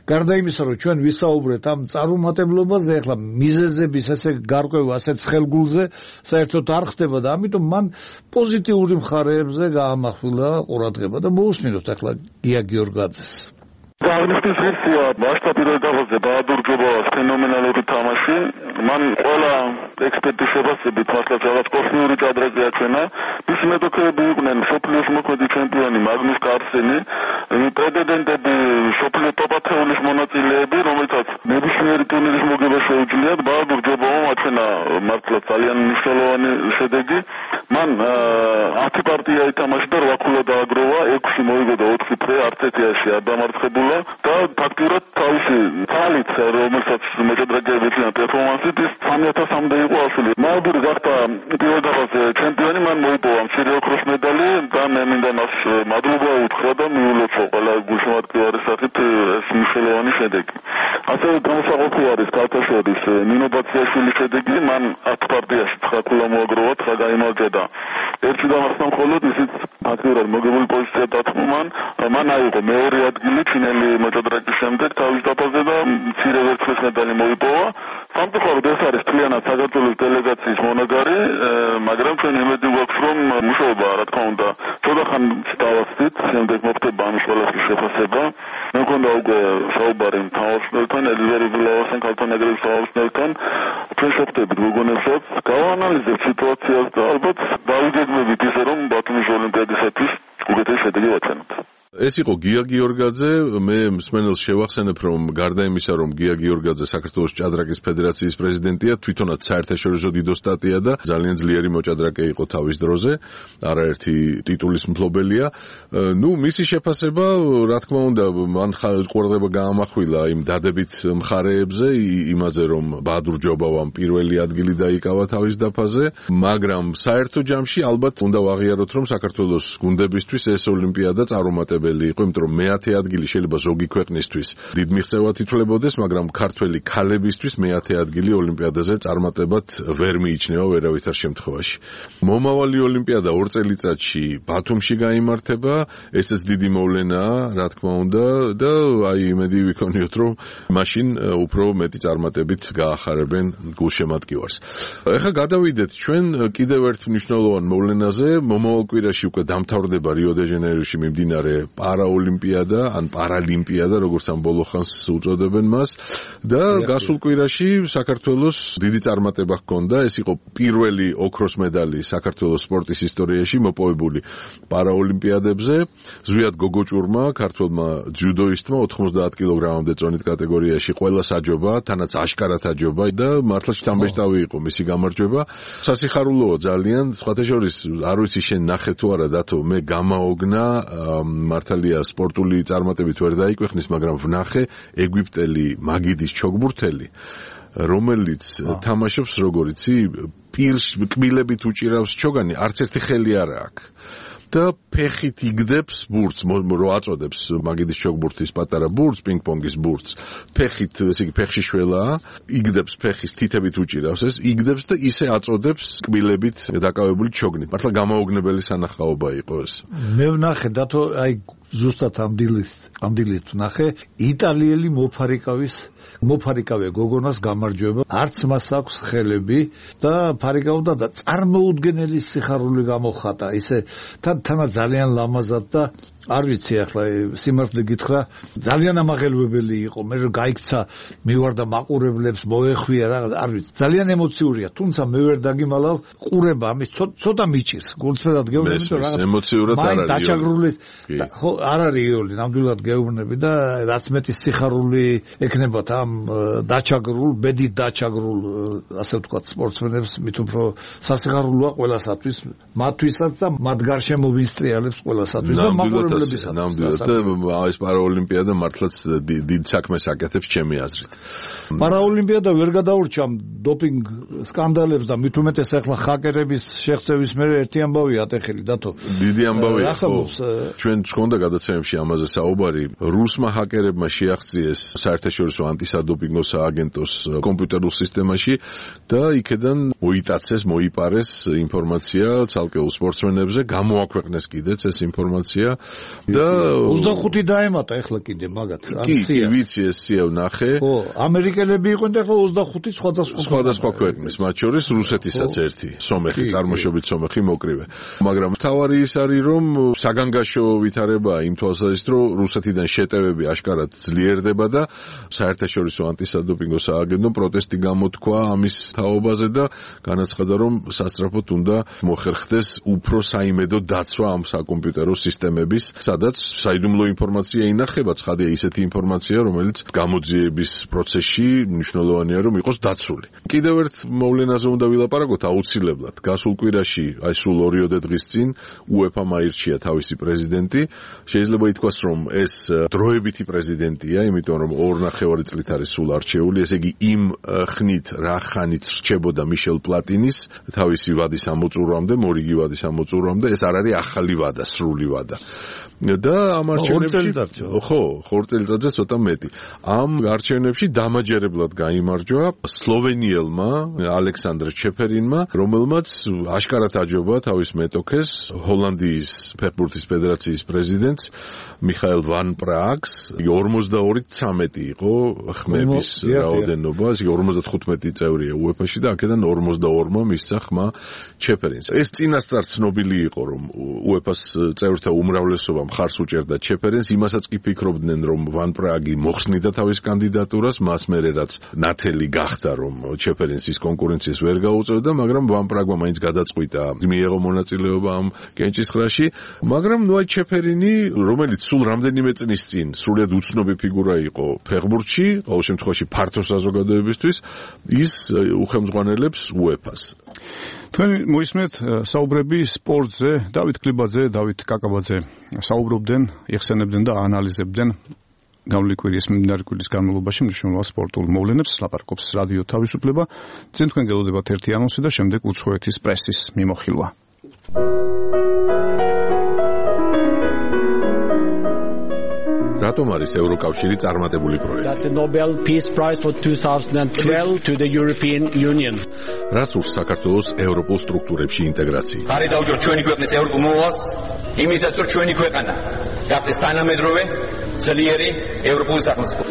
გარდა იმისა, რომ ჩვენ ვისაუბრეთ ამ წარუმატებლობაზე, ახლა მიზეზების ესე გარკვევა ასეთ ხელგულზე საერთოდ არ ხდება და ამიტომ მან პოზიტიური მხარეებზე გაამახვილა ყურადღება და მოусმინოთ ახლა გია გიორგაძეს. აღნიშნვის ღირსია მასშტაბური დაღოზე ბაადურ ჯობავას ფენომენალური თამაში. მან ყველა ექსპერტის შეფასებით მართლაც რაღაც კოსმიური ჭადრაკი აჩვენა. მისი მეტოქეები იყვნენ მსოფლიოს მოქმედი ჩემპიონი მაგნუს კარლსენი, პრეტენდენტები სოფლიო ტოპ ათეულის მონაწილეები, რომელთაც ნებისმიერი ტურნირის მოგება შეუძლიათ. ბაადურ ჯობავამ აჩვენა გამოჩენა მართლა ძალიან მნიშვნელოვანი შედეგი. მან ათი პარტია ითამაშა და რვა ქულა დააგროვა, ექვსი მოიგო და ოთხი ფრე არც ერთი ასე არ დამარცხებულა და ფაქტურად თავისი ძალით, რომელსაც მოჭადრაკეები ეწინათ პერფორმანსით, ის სამი ათასამდე იყო ასული. მაუდური გახდა პირველ დაფაზე ჩემპიონი, მან მოიპოვა მცირე ოქროს медали და მე მინდა მას მადლობა უთხრა და მიულოცო ყველა გულშემატკივარის სახით ეს მნიშვნელოვანი შედეგი. ასევე გამოსაყოფი არის ქალთაშორის ნინო ბაციაშვილის შედეგი, მან ათ პარტიაში ცხრა ქულა მოაგროვა, ცხრა გაიმარჯვა და ერთი დამარცხდა მხოლოდ, ისიც აქტიურად მოგებული პოზიცია დათმო მან. მან აიღო მეორე ადგილი ჩინელი მოჭადრაკის შემდეგ თავის დაფაზე და მცირე ვერცხლის медали მოიპოვა. სამწუხაროდ ეს არის მთლიანად საქართველოს დელეგაციის მონაგარი, მაგრამ ჩვენ იმედი გვაქვს, რომ მუშაობა, რა თქმა უნდა, ცოტა ხან დავასწრით, შემდეგ მოხდება ამის ყველაფრის შეფასება. მე მქონდა უკვე საუბარი მთავრობასთან, ელიზაბეთ ვილავასთან, ქალთა ნაგრების თავმჯდომარესთან. ჩვენ შევხვდებით გოგონებსაც, გავანალიზებთ სიტუაციას და ალბათ დავიგეგმებით ისე, რომ ბათუმის ოლიმპიადისათვის უკეთესი შედეგი ვაჩვენოთ. ეს იყო გია გიორგაძე. მე მსმენელს შევახსენებ, რომ გარდა იმისა, რომ გია გიორგაძე საქართველოს ჭადრაკის ფედერაციის პრეზიდენტია, თვითონაც საერთაშორისო დიდოსტატია და ძალიან ძლიერი მოჭადრაკე იყო თავის დროზე, არაერთი ტიტულის მფლობელია. ნუ მისი შეფასება, რა თქმა უნდა, მან ყურადღება გაამახვილა იმ დადებით მხარეებზე, იმაზე, რომ ბადურ ჯობავამ პირველი ადგილი დაიკავა თავის დაფაზე, მაგრამ საერთო ჯამში ალბათ უნდა ვაღიაროთ, რომ საქართველოს გუნდებისთვის ეს ოლიმპიადა წარუმატებელი იყო, იმიტომ რომ მეათე ადგილი შეიძლება ზოგი ქვეყნისთვის დიდ მიღწევად ითვლებოდეს, მაგრამ ქართველი ქალებისთვის მეათე ადგილი ოლიმპიადაზე წარმატებად ვერ მიიჩნევა ვერავითარ შემთხვევაში. მომავალი ოლიმპიადა ორ წელიწადში ბათუმში გაიმართება, ესეც დიდი მოვლენაა, რა თქმა უნდა, და აი იმედი ვიქონიოთ, რომ მაშინ უფრო მეტი წარმატებით გაახარებენ გულშემატკივარს. ეხლა გადავიდეთ ჩვენ კიდევ ერთ მნიშვნელოვან მოვლენაზე. მომავალ კვირაში უკვე დამთავრდება რიო-დე-ჟანეიროში მიმდინარე პარაოლიმპიადა, ან პარალიმპიადა, როგორც ამ ბოლო ხანს უწოდებენ მას, და გასულ კვირაში საქართველოს დიდი წარმატება ჰქონდა. ეს იყო პირველი ოქროს медали საქართველოს სპორტის ისტორიაში მოპოვებული პარაოლიმპიადებზე. ზვიად გოგოჭურმა, ქართველმა ძიუდოისტმა ოთხმოცდაათ კილოგრამამდე წონით კატეგორიაში ყველას აჯობა, თანაც აშკარად აჯობა და მართლა შთამბეჭდავი იყო მისი გამარჯვება. სასიხარულოა ძალიან, სხვათა შორის არ ვიცი შენ ნახე თუ არა დათო, მე გამაოგნა, მართალია სპორტული წარმატებით ვერ დაიკვეხნის, მაგრამ ვნახე ეგვიპტელი მაგიდის ჩოგბურთელი, რომელიც თამაშობს როგორ იცი, პირს კბილებით უჭირავს ჩოგანი, არც ერთი ხელი არ აქვს. და ფეხით იგდებს ბურთს, რო აწოდებს მაგიდის ჩოგბურთის პატარა ბურთს, პინგ-პონგის ბურთს, ფეხით, ესე იგი ფეხში შველაა, იგდებს ფეხის თითებით უჭირავს ეს, იგდებს და ისე აწოდებს კბილებით დაკავებული ჩოგნით. მართლა გამაოგნებელი სანახაობა იყო ეს. მე ვნახე დათო, აი ზუსტად ამ დილით, ამ დილით ვნახე იტალიელი მოფარიკავის მოფარიკავე გოგონას გამარჯვება, არც მას აქვს ხელები და ფარიკავდა და წარმოუდგენელი სიხარული გამოხატა, ისე თანა ძალიან ლამაზად და არ ვიცი ახლა სიმართლე გითხრა, ძალიან ამაღელვებელი იყო. მე რომ გაიქცა, მივარდა მაყურებლებს, მოეხვია რა, არ ვიცი, ძალიან ემოციურია, თუმცა მე ვერ დაგიმალავ, ყურება ამის ცოტა მიჭირს, გულწრფელად გეუბნები, რომ რაღაც ემოციურად არ არის. დაჩაგრული, ხო, არ არის იული, ნამდვილად გეუბნები და რაც მეტი სიხარული ექნებათ ამ დაჩაგრულ, ბედით დაჩაგრულ, ასე ვთქვათ, სპორტსმენებს, მით უფრო სასიხარულოა ყველასათვის, მათთვისაც და მათ გარშემო ვინსტრიალებს ყველასათვის და მაყურებლებისათვის. ნამდვილად და ეს პარაოლიმპიადა მართლაც დიდ საქმეს აკეთებს ჩემი აზრით. პარაოლიმპიადა ვერ გადაურჩამ დოპინგ სკანდალებს და მით უმეტეს ახლა ჰაკერების შეღწევის მერე ერთი ამბავი ატეხილი დათო. დიდი ამბავია ხო. ჩვენ გქონდა გადაცემებში ამაზე საუბარი. რუსმა ჰაკერებმა შეაღწიეს საერთაშორისო ანტისადოპინგო სააგენტოს კომპიუტერულ სისტემაში და იქედან მოიტაცეს, მოიპარეს ინფორმაცია ცალკეულ სპორტსმენებზე, გამოაქვეყნეს კიდეც ეს ინფორმაცია და ოცდახუთი დაემატა ახლა კიდე მაგათ. კი, ვიცი ეს სია ვნახე. ხო, ამერიკელები იყვნენ და ახლა ოცდახუთი სხვადასხვა სხვადასხვა ქვეყნის, მათ შორის რუსეთისაც ერთი, სომეხი, წარმოშობით სომეხი მოკრივე. მაგრამ მთავარი ის არის, რომ საგანგაშო ვითარებაა იმ თვალსაზრისით, რომ რუსეთიდან შეტევები აშკარად ძლიერდება და საერთაშორისო ანტისადოპინგო სააგენტომ პროტესტი გამოთქვა ამის თაობაზე და განაცხადა, რომ სასწრაფოდ უნდა მოხერხდეს უფრო საიმედო დაცვა ამ საკომპიუტერო სისტემების სადაც საიდუმლო ინფორმაცია ინახება, ცხადია ისეთი ინფორმაცია, რომელიც გამოძიების პროცესში მნიშვნელოვანია რომ იყოს დაცული. კიდევ ერთ მოვლენაზე უნდა ვილაპარაკოთ აუცილებლად. გასულ კვირაში, აი სულ ორიოდე დღის წინ უეფა-მ აირჩია თავისი პრეზიდენტი. შეიძლება ითქვას, რომ ეს დროებითი პრეზიდენტია, იმიტომ რომ ორ ნახევარი წლით არის სულ არჩეული, ესე იგი იმ ხნით რა ხანით რჩებოდა მიშელ პლატინის თავისი ვადის ამოწურვამდე, მორიგი ვადის ამოწურვამდე, ეს არ არის ახალი ვადა, სრული ვადა. და ამ არჩევნებში ხო, ხორ წელიწადზე ცოტა მეტი. ამ არჩევნებში დამაჯერებლად გაიმარჯვა სლოვენიელმა ალექსანდრ ჩეფერინმა, რომელმაც აშკარად აჯობა თავის მეტოქეს, ჰოლანდიის ფეხბურთის ფედერაციის პრეზიდენტს მიხაელ ვან პრააგს. ორმოცდაორი ცამეტი იყო ხმების რაოდენობა, ეს ორმოცდათხუთმეტი წევრია უეფა-ში და აქედან ორმოცდაორმა მისცა ხმა ჩეფერინს. ეს წინასწარ ცნობილი იყო, რომ უეფა-ს წევრთა უმრავლესობა მხარს უჭერდა ჩეფერინს, იმასაც კი ფიქრობდნენ, რომ ვან პრააგი მოხსნიდა თავის კანდიდატურას, მას მერე რაც ნათელი გახდა, რომ ჩეფერინს ის კონკურენციას ვერ გაუწევდა, მაგრამ ვან პრააგმა მაინც გადაწყვიტა მიეღო მონაწილეობა ამ კენჭისყრაში, მაგრამ ნუ აი ჩეფერინი, რომელიც სულ რამდენიმე წლის წინ სრულიად უცნობი ფიგურა იყო ფეხბურთში, ყოველ შემთხვევაში ფართო საზოგადოებისთვის, ის უხელმძღვანელებს უეფას. თქვენ მოისმენთ საუბრები სპორტზე, დავით კლებაძე, დავით კაკაბაძე საუბრობდნენ, იხსენებდნენ და აანალიზებდნენ გავლილი კვირის მიმდინარე კვირის განმავლობაში მნიშვნელოვან სპორტულ მოვლენებს, ლაპარაკობს რადიო თავისუფლება. წინ თქვენ გელოდებათ ერთი ანონსი და შემდეგ უცხოეთის პრესის მიმოხილვა. რატომ არის ევროკავშირი წარმატებული პროექტი? The Nobel Peace Prize for twenty twelve to the European Union. რას ურს საქართველოს ევროპულ სტრუქტურებში ინტეგრაცია? ხარი დავუჯო ჩვენი ქვეყნის ევროპულ მოვალს, იმისაც რომ ჩვენი ქვეყანა გახდეს თანამედროვე, ძლიერი ევროპული სახელმწიფო.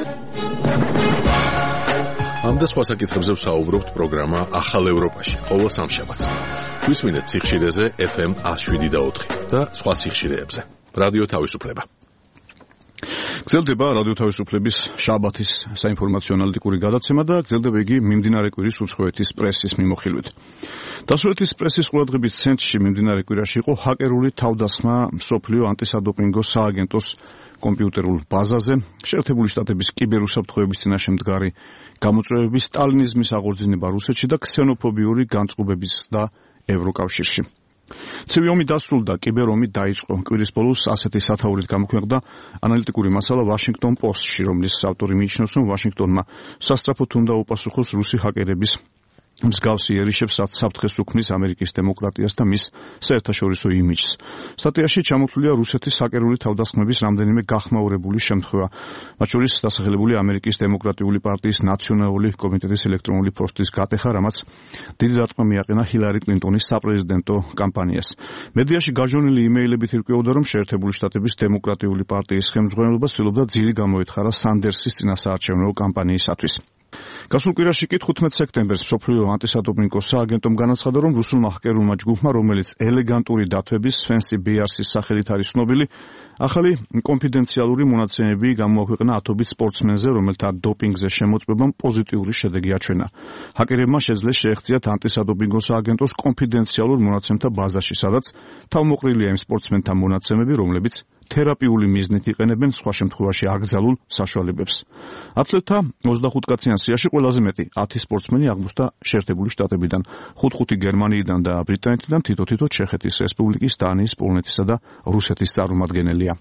ამ და სხვა საკითხებზე ვსაუბრობთ პროგრამა ახალ ევროპაში, ყოველ სამშაბათს. გვისმინეთ სიხშირეზე ეფ ემ one oh seven და ოთხი და სხვა სიხშირეებზე. რადიო თავისუფლება. გრძელდება რადიო თავისუფლების შაბათის საინფორმაციო ანალიტიკური გადაცემა და გრძელდება იგი მიმდინარე კვირის უცხოეთის პრესის მიმოხილვით. დასავლეთის პრესის ყურადღების ცენტრში მიმდინარე კვირაში იყო ჰაკერული თავდასხმა მსოფლიო ანტისადოპინგო სააგენტოს კომპიუტერულ ბაზაზე, შეერთებული შტატების კიბერუსაფრთხოების წინაშე მდგარი გამოწვევების, სტალინიზმის აღორძინება რუსეთში და ქსენოფობიური განწყობების და ევროკავშირში. ცივი ომი დასრულდა, კიბერომი დაიწყო. კვირის ბოლოს ასეთი სათაურით გამოქვეყნდა ანალიტიკური მასალა Washington Post-ში, რომლის ავტორი მიიჩნევს, რომ ვაშინგტონმა სასწრაფოდ უნდა უპასუხოს რუსი ჰაკერების მსგავსი ერიშებს საფრთხეს უქმნის ამერიკის დემოკრატიას და მის საერთაშორისო იმიჯს. სტატიაში ჩამოთვლილია რუსეთის ჰაკერული თავდასხმების რამდენიმე გახმაურებული შემთხვევა, მათ შორის დასახელებული ამერიკის დემოკრატიული პარტიის ნაციონალური კომიტეტის ელექტრონული პოსტის გატეხა, რამაც დიდი დარტყმა მიაყენა ჰილარი კლინტონის საპრეზიდენტო კამპანიას. მედიაში გაჟონილი იმეილებით ირკვეოდა, რომ შეერთებული შტატების დემოკრატიული პარტიის ხელმძღვანელობა ცდილობდა ძილი გამოეთხარა სანდერსის წინასაარჩევნო კამპანიისათვის. გასულ კვირაში კი თხუთმეტ სექტემბერს მსოფლიო ანტისადოპინგო სააგენტომ განაცხადა, რომ რუსულმა ჰაკერულმა ჯგუფმა, რომელიც ელეგანტური დათვების Fancy Bears-ის სახელით არის ცნობილი, ახალი კონფიდენციალური მონაცემები გამოაქვეყნა ათობით სპორტსმენზე, რომელთა დოპინგზე შემოწმებამ პოზიტიური შედეგი აჩვენა. ჰაკერებმა შეძლეს შეეღწიათ ანტისადოპინგო სააგენტოს კონფიდენციალურ მონაცემთა ბაზაში, სადაც თავმოყრილია იმ სპორტსმენთა მონაცემები, რომლებიც თერაპიული მიზნით იყენებენ სხვა შემთხვევაში აკრძალულ საშუალებებს. ათლეტთა ოცდახუთ კაციან სიაში ყველაზე მეტი ათი სპორტსმენი აღმოჩნდა შეერთებული შტატებიდან, ხუთ-ხუთი გერმანიიდან და ბრიტანეთიდან, თითო-თითო ჩეხეთის რესპუბლიკის, დანიის, პოლონეთისა და რუსეთის წარმომადგენელია.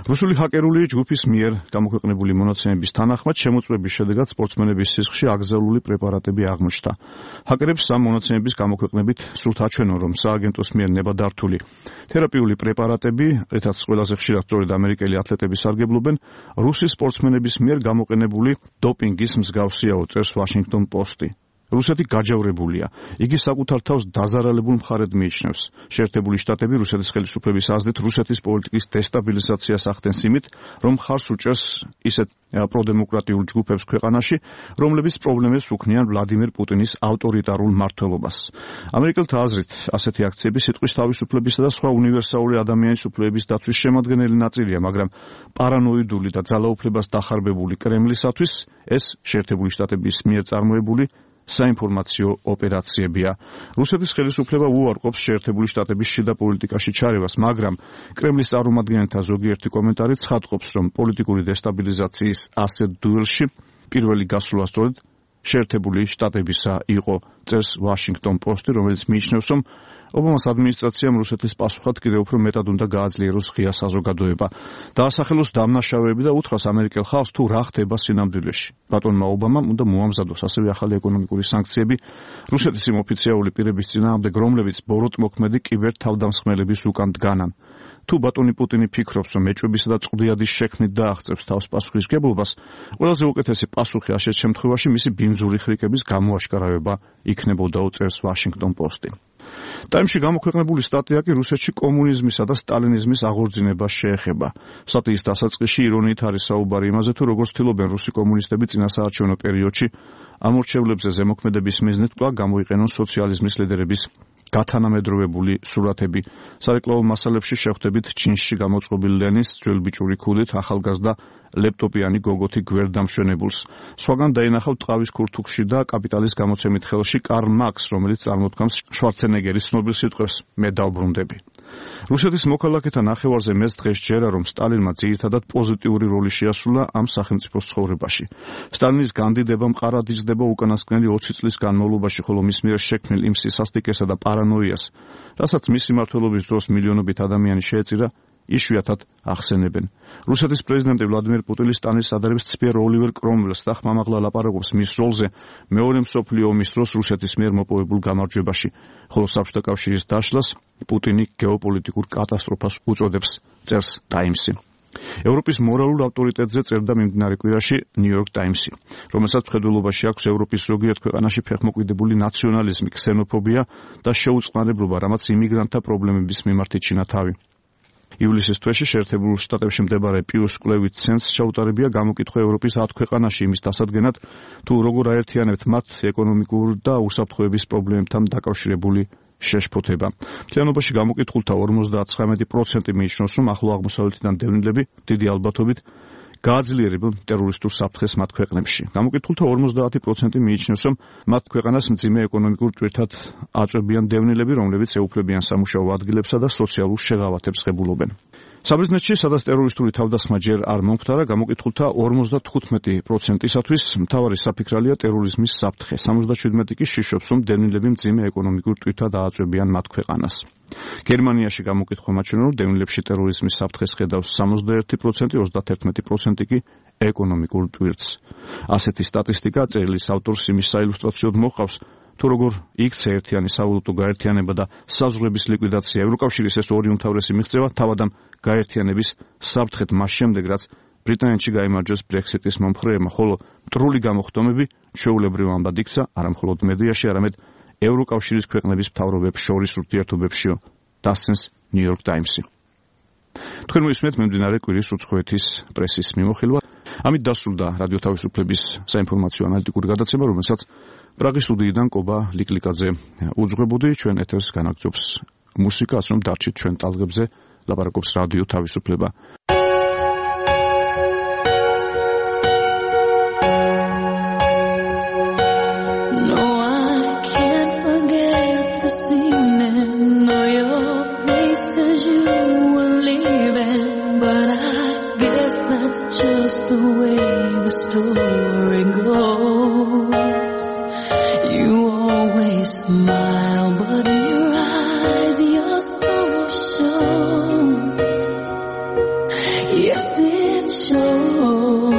რუსული ჰაკერული ჯგუფის მიერ გამოქვეყნებული მონაცემების თანახმად შემოწმების შედეგად სპორტსმენების სისხლში აკრძალული პრეპარატები აღმოჩნდა. ჰაკერებს ამ მონაცემების გამოქვეყნებით სურთ აჩვენონ, რომ სააგენტოს მიერ ნებადართული თერაპიული პრეპარატები, რითაც ყველაზე ხშირად სწორედ ამერიკელი ათლეტები სარგებლობენ, რუსი სპორტსმენების მიერ გამოყენებული დოპინგის მსგავსია, წერს Washington Post-ი. რუსეთი გაჯავრებულია. იგი საკუთარ თავს დაზარალებულ მხარედ მიიჩნევს. შეერთებული შტატები რუსეთის ხელისუფლების აზრით რუსეთის პოლიტიკის დესტაბილიზაციას ახდენს იმით, რომ ხარს უჭერს ისეთ პროდემოკრატიულ ჯგუფებს ქვეყანაში, რომლებიც პრობლემებს უქმნიან ვლადიმერ პუტინის ავტორიტარულ მმართველობას. ამერიკელთა აზრით, ასეთი აქციები სიტყვის თავისუფლებისა და სხვა უნივერსალური ადამიანის უფლებების დაცვის შემადგენელი ნაწილია, მაგრამ პარანოიდული და ძალაუფლებას დახარბებული კრემლისათვის ეს შეერთებული შტატების მიერ წარმოებული საინფორმაციო ოპერაციებია. რუსეთის ხელისუფლება უარყოფს შეერთებული შტატების შიდა პოლიტიკაში ჩარევას, მაგრამ კრემლის წარმომადგენელთა ზოგიერთი კომენტარი ცხადყოფს, რომ პოლიტიკური დესტაბილიზაციის ასეთ დუელში პირველი გასვლა სწორედ შეერთებული შტატებისა იყო, წერს Washington Post-ი, რომელიც მიიჩნევს, რომ ობამას ადმინისტრაციამ რუსეთის პასუხად კიდევ უფრო მეტად უნდა გააძლიეროს ღია საზოგადოება. დაასახელოს დამნაშავეები და უთხრას ამერიკელ ხალხს თუ რა ხდება სინამდვილეში. ბატონმა ობამამ უნდა მოამზადოს ასევე ახალი ეკონომიკური სანქციები რუსეთის იმ ოფიციალური პირების წინააღმდეგ, რომლებიც ბოროტმოქმედი კიბერთავდამსხმელების უკან დგანან. თუ ბატონი პუტინი ფიქრობს, რომ ეჭვებისა და წყდიადის შექმნით დააღწევს თავს პასუხისმგებლობას, ყველაზე უკეთესი პასუხი ასეთ შემთხვევაში მისი ბინძური ხრიკების გამოაშკარავება იქნებოდა, წერს Washington Post-ი. ტაიმში გამოქვეყნებული სტატია კი რუსეთში კომუნიზმისა და სტალინიზმის აღორძინებას შეეხება. სტატიის დასაწყისში ირონიით არის საუბარი იმაზე, თუ როგორ ცდილობენ რუსი კომუნისტები წინასაარჩევნო პერიოდში ამორჩევლებზე ზემოქმედების მიზნით კვლავ გამოიყენონ სოციალიზმის ლიდერების გათანამედროვებული სურათები. სარეკლამო მასალებში შევხვდებით ჩინში გამოწყობილ ლენის ძველბიჭური ქუდით ახალგაზრდა ლეპტოპიანი გოგოთი გვერდამშვენებულს. სხვაგან დაინახავთ ტყავის ქურთუქში და კაპიტალის გამოცემით ხელში კარლ მარქს, რომელიც წარმოთქვამს შვარცენეგერის ცნობილ სიტყვებს „მე დავბრუნდები“. რუსეთის მოქალაქეთა ნახევარზე მეც დღეს ჯერა, რომ სტალინმა ძირითადად პოზიტიური როლი შეასრულა ამ სახელმწიფოს ცხოვრებაში. სტალინის განდიდება მყარად იზრდება უკანასკნელი ოცი წლის განმავლობაში, ხოლო მის მიერ შექმნილ იმ სისასტიკესა და პარანოიას, რასაც მისი მმართველობის დროს მილიონობით ადამიანი შეეწირა, იშვიათად ახსენებენ. რუსეთის პრეზიდენტი ვლადიმერ პუტინი სტალინის ადარებს ცბერ ოლივერ კრომველს და ხმამაღლა ლაპარაკობს მის როლზე მეორე მსოფლიო ომის დროს რუსეთის მიერ მოპოვებულ გამარჯვებაში, ხოლო საბჭოთა კავშირის დაშლას პუტინი გეოპოლიტიკურ კატასტროფას უწოდებს, წერს Times-ი. ევროპის მორალურ ავტორიტეტზე წერდა მიმდინარე კვირაში New York Times-ი, რომელსაც მხედველობაში აქვს ევროპის ზოგიერთ ქვეყანაში ფეხმოკვიდებული ნაციონალიზმი, ქსენოფობია და შეუწყნარებლობა, რამაც იმიგრანტთა პრობლემების მიმართით ჩინა თავი. ივლისის თვეში შეერთებულ შტატებში მდებარე პიუს კვლევით ცენტრს შეუტარებია გამოკითხვა ევროპის ათ ქვეყანაში იმის დასადგენად, თუ როგორ აერთიანებთ მათ ეკონომიკურ და უსაფრთხოების პრობლემებთან დაკავშირებული შეშფოთება. მთლიანობაში გამოკითხულთა ორმოცდათხრამეტი პროცენტი მიიჩნევს, რომ ახლო აღმოსავლეთიდან დევნილები დიდი ალბათობით გააძლიერებენ ტერორისტულ საფრთხეს მათ ქვეყნებში. გამოკითხულთა ორმოცდაათი პროცენტი მიიჩნევს, რომ მათ ქვეყანას მძიმე ეკონომიკურ ტვირთად აწვევიან დევნილები, რომლებიც ეუფლებიან სამუშაო ადგილებსა და სოციალურ შეღავათებს ღებულობენ. საბერძნეთში, სადაც ტერორისტული თავდასხმა ჯერ არ მომხდარა, გამოკითხულთა ორმოცდათხუთმეტი პროცენტისათვის მთავარი საფიქრალია ტერორიზმის საფრთხე. სამოცდაშვიდმეტი კი შიშობს, რომ დევნილები მძიმე ეკონომიკურ ტვირთად ააწვევიან მათ ქვეყანას. გერმანიაში გამოკითხვა მაჩვენებს, რომ დევნილებში ტერორიზმის საფრთხეს ხედავს სამოცდაერთი პროცენტი, ოცდაათერთმეტი პროცენტი კი ეკონომიკურ ტვირთს. ასეთი სტატისტიკა წერილის ავტორს იმის საილუსტრაციოდ მოჰყავს, თუ როგორ იქცა ერთიანი სავალუტო გაერთიანება და საზღვრების ლიკვიდაცია. ევროკავშირის ეს ორი უმთავრესი მიღწევა თავადამ გაერთიანების საფრთხეთ მას შემდეგ, რაც ბრიტანეთში გაიმარჯვეს ბრექსიტის მომხრეებმა, ხოლო მტრული გამოხდომები ჩვეულებრივ ამბად იქცა არა მხოლოდ მედიაში, არამედ ევროკავშირის ქვეყნების მთავრობებს შორის ურთიერთობებშიო, დასცენს New York Times-ი. თქვენ მოისმენთ მიმდინარე კვირის უცხოეთის პრესის მიმოხილვა. ამით დასრულდა რადიო თავისუფლების საინფორმაციო ანალიტიკური გადაცემა, რომელსაც პრაღის სტუდიიდან კობა ლიკლიკაძე უძღვებოდი. ჩვენ ეთერს განაგრძობს მუსიკა, ასე რომ დარჩით ჩვენ ტალღებზე, ლაპარაკობს რადიო თავისუფლება. Just the way the story goes. You always smile, but in your eyes your soul shows. Yes, it shows.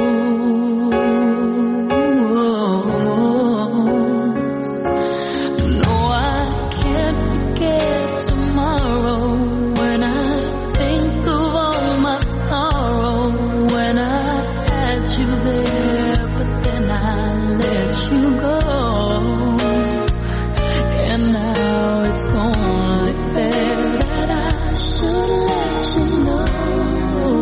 No, I can't forget tomorrow when I think of all my sorrow. You there, but then I let you go, and now it's only fair that I should let you know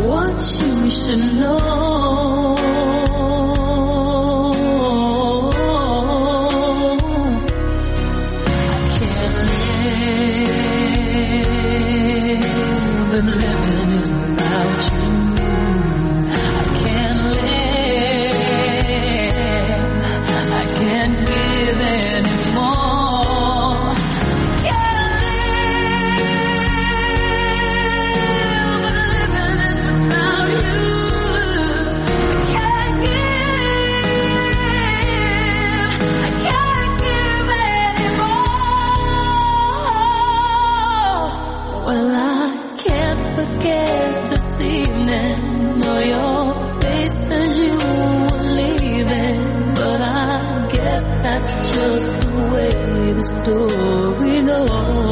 what you should know. I can't live, and living is without you. I forget this evening or your face as you were leaving, but I guess that's just the way the story goes.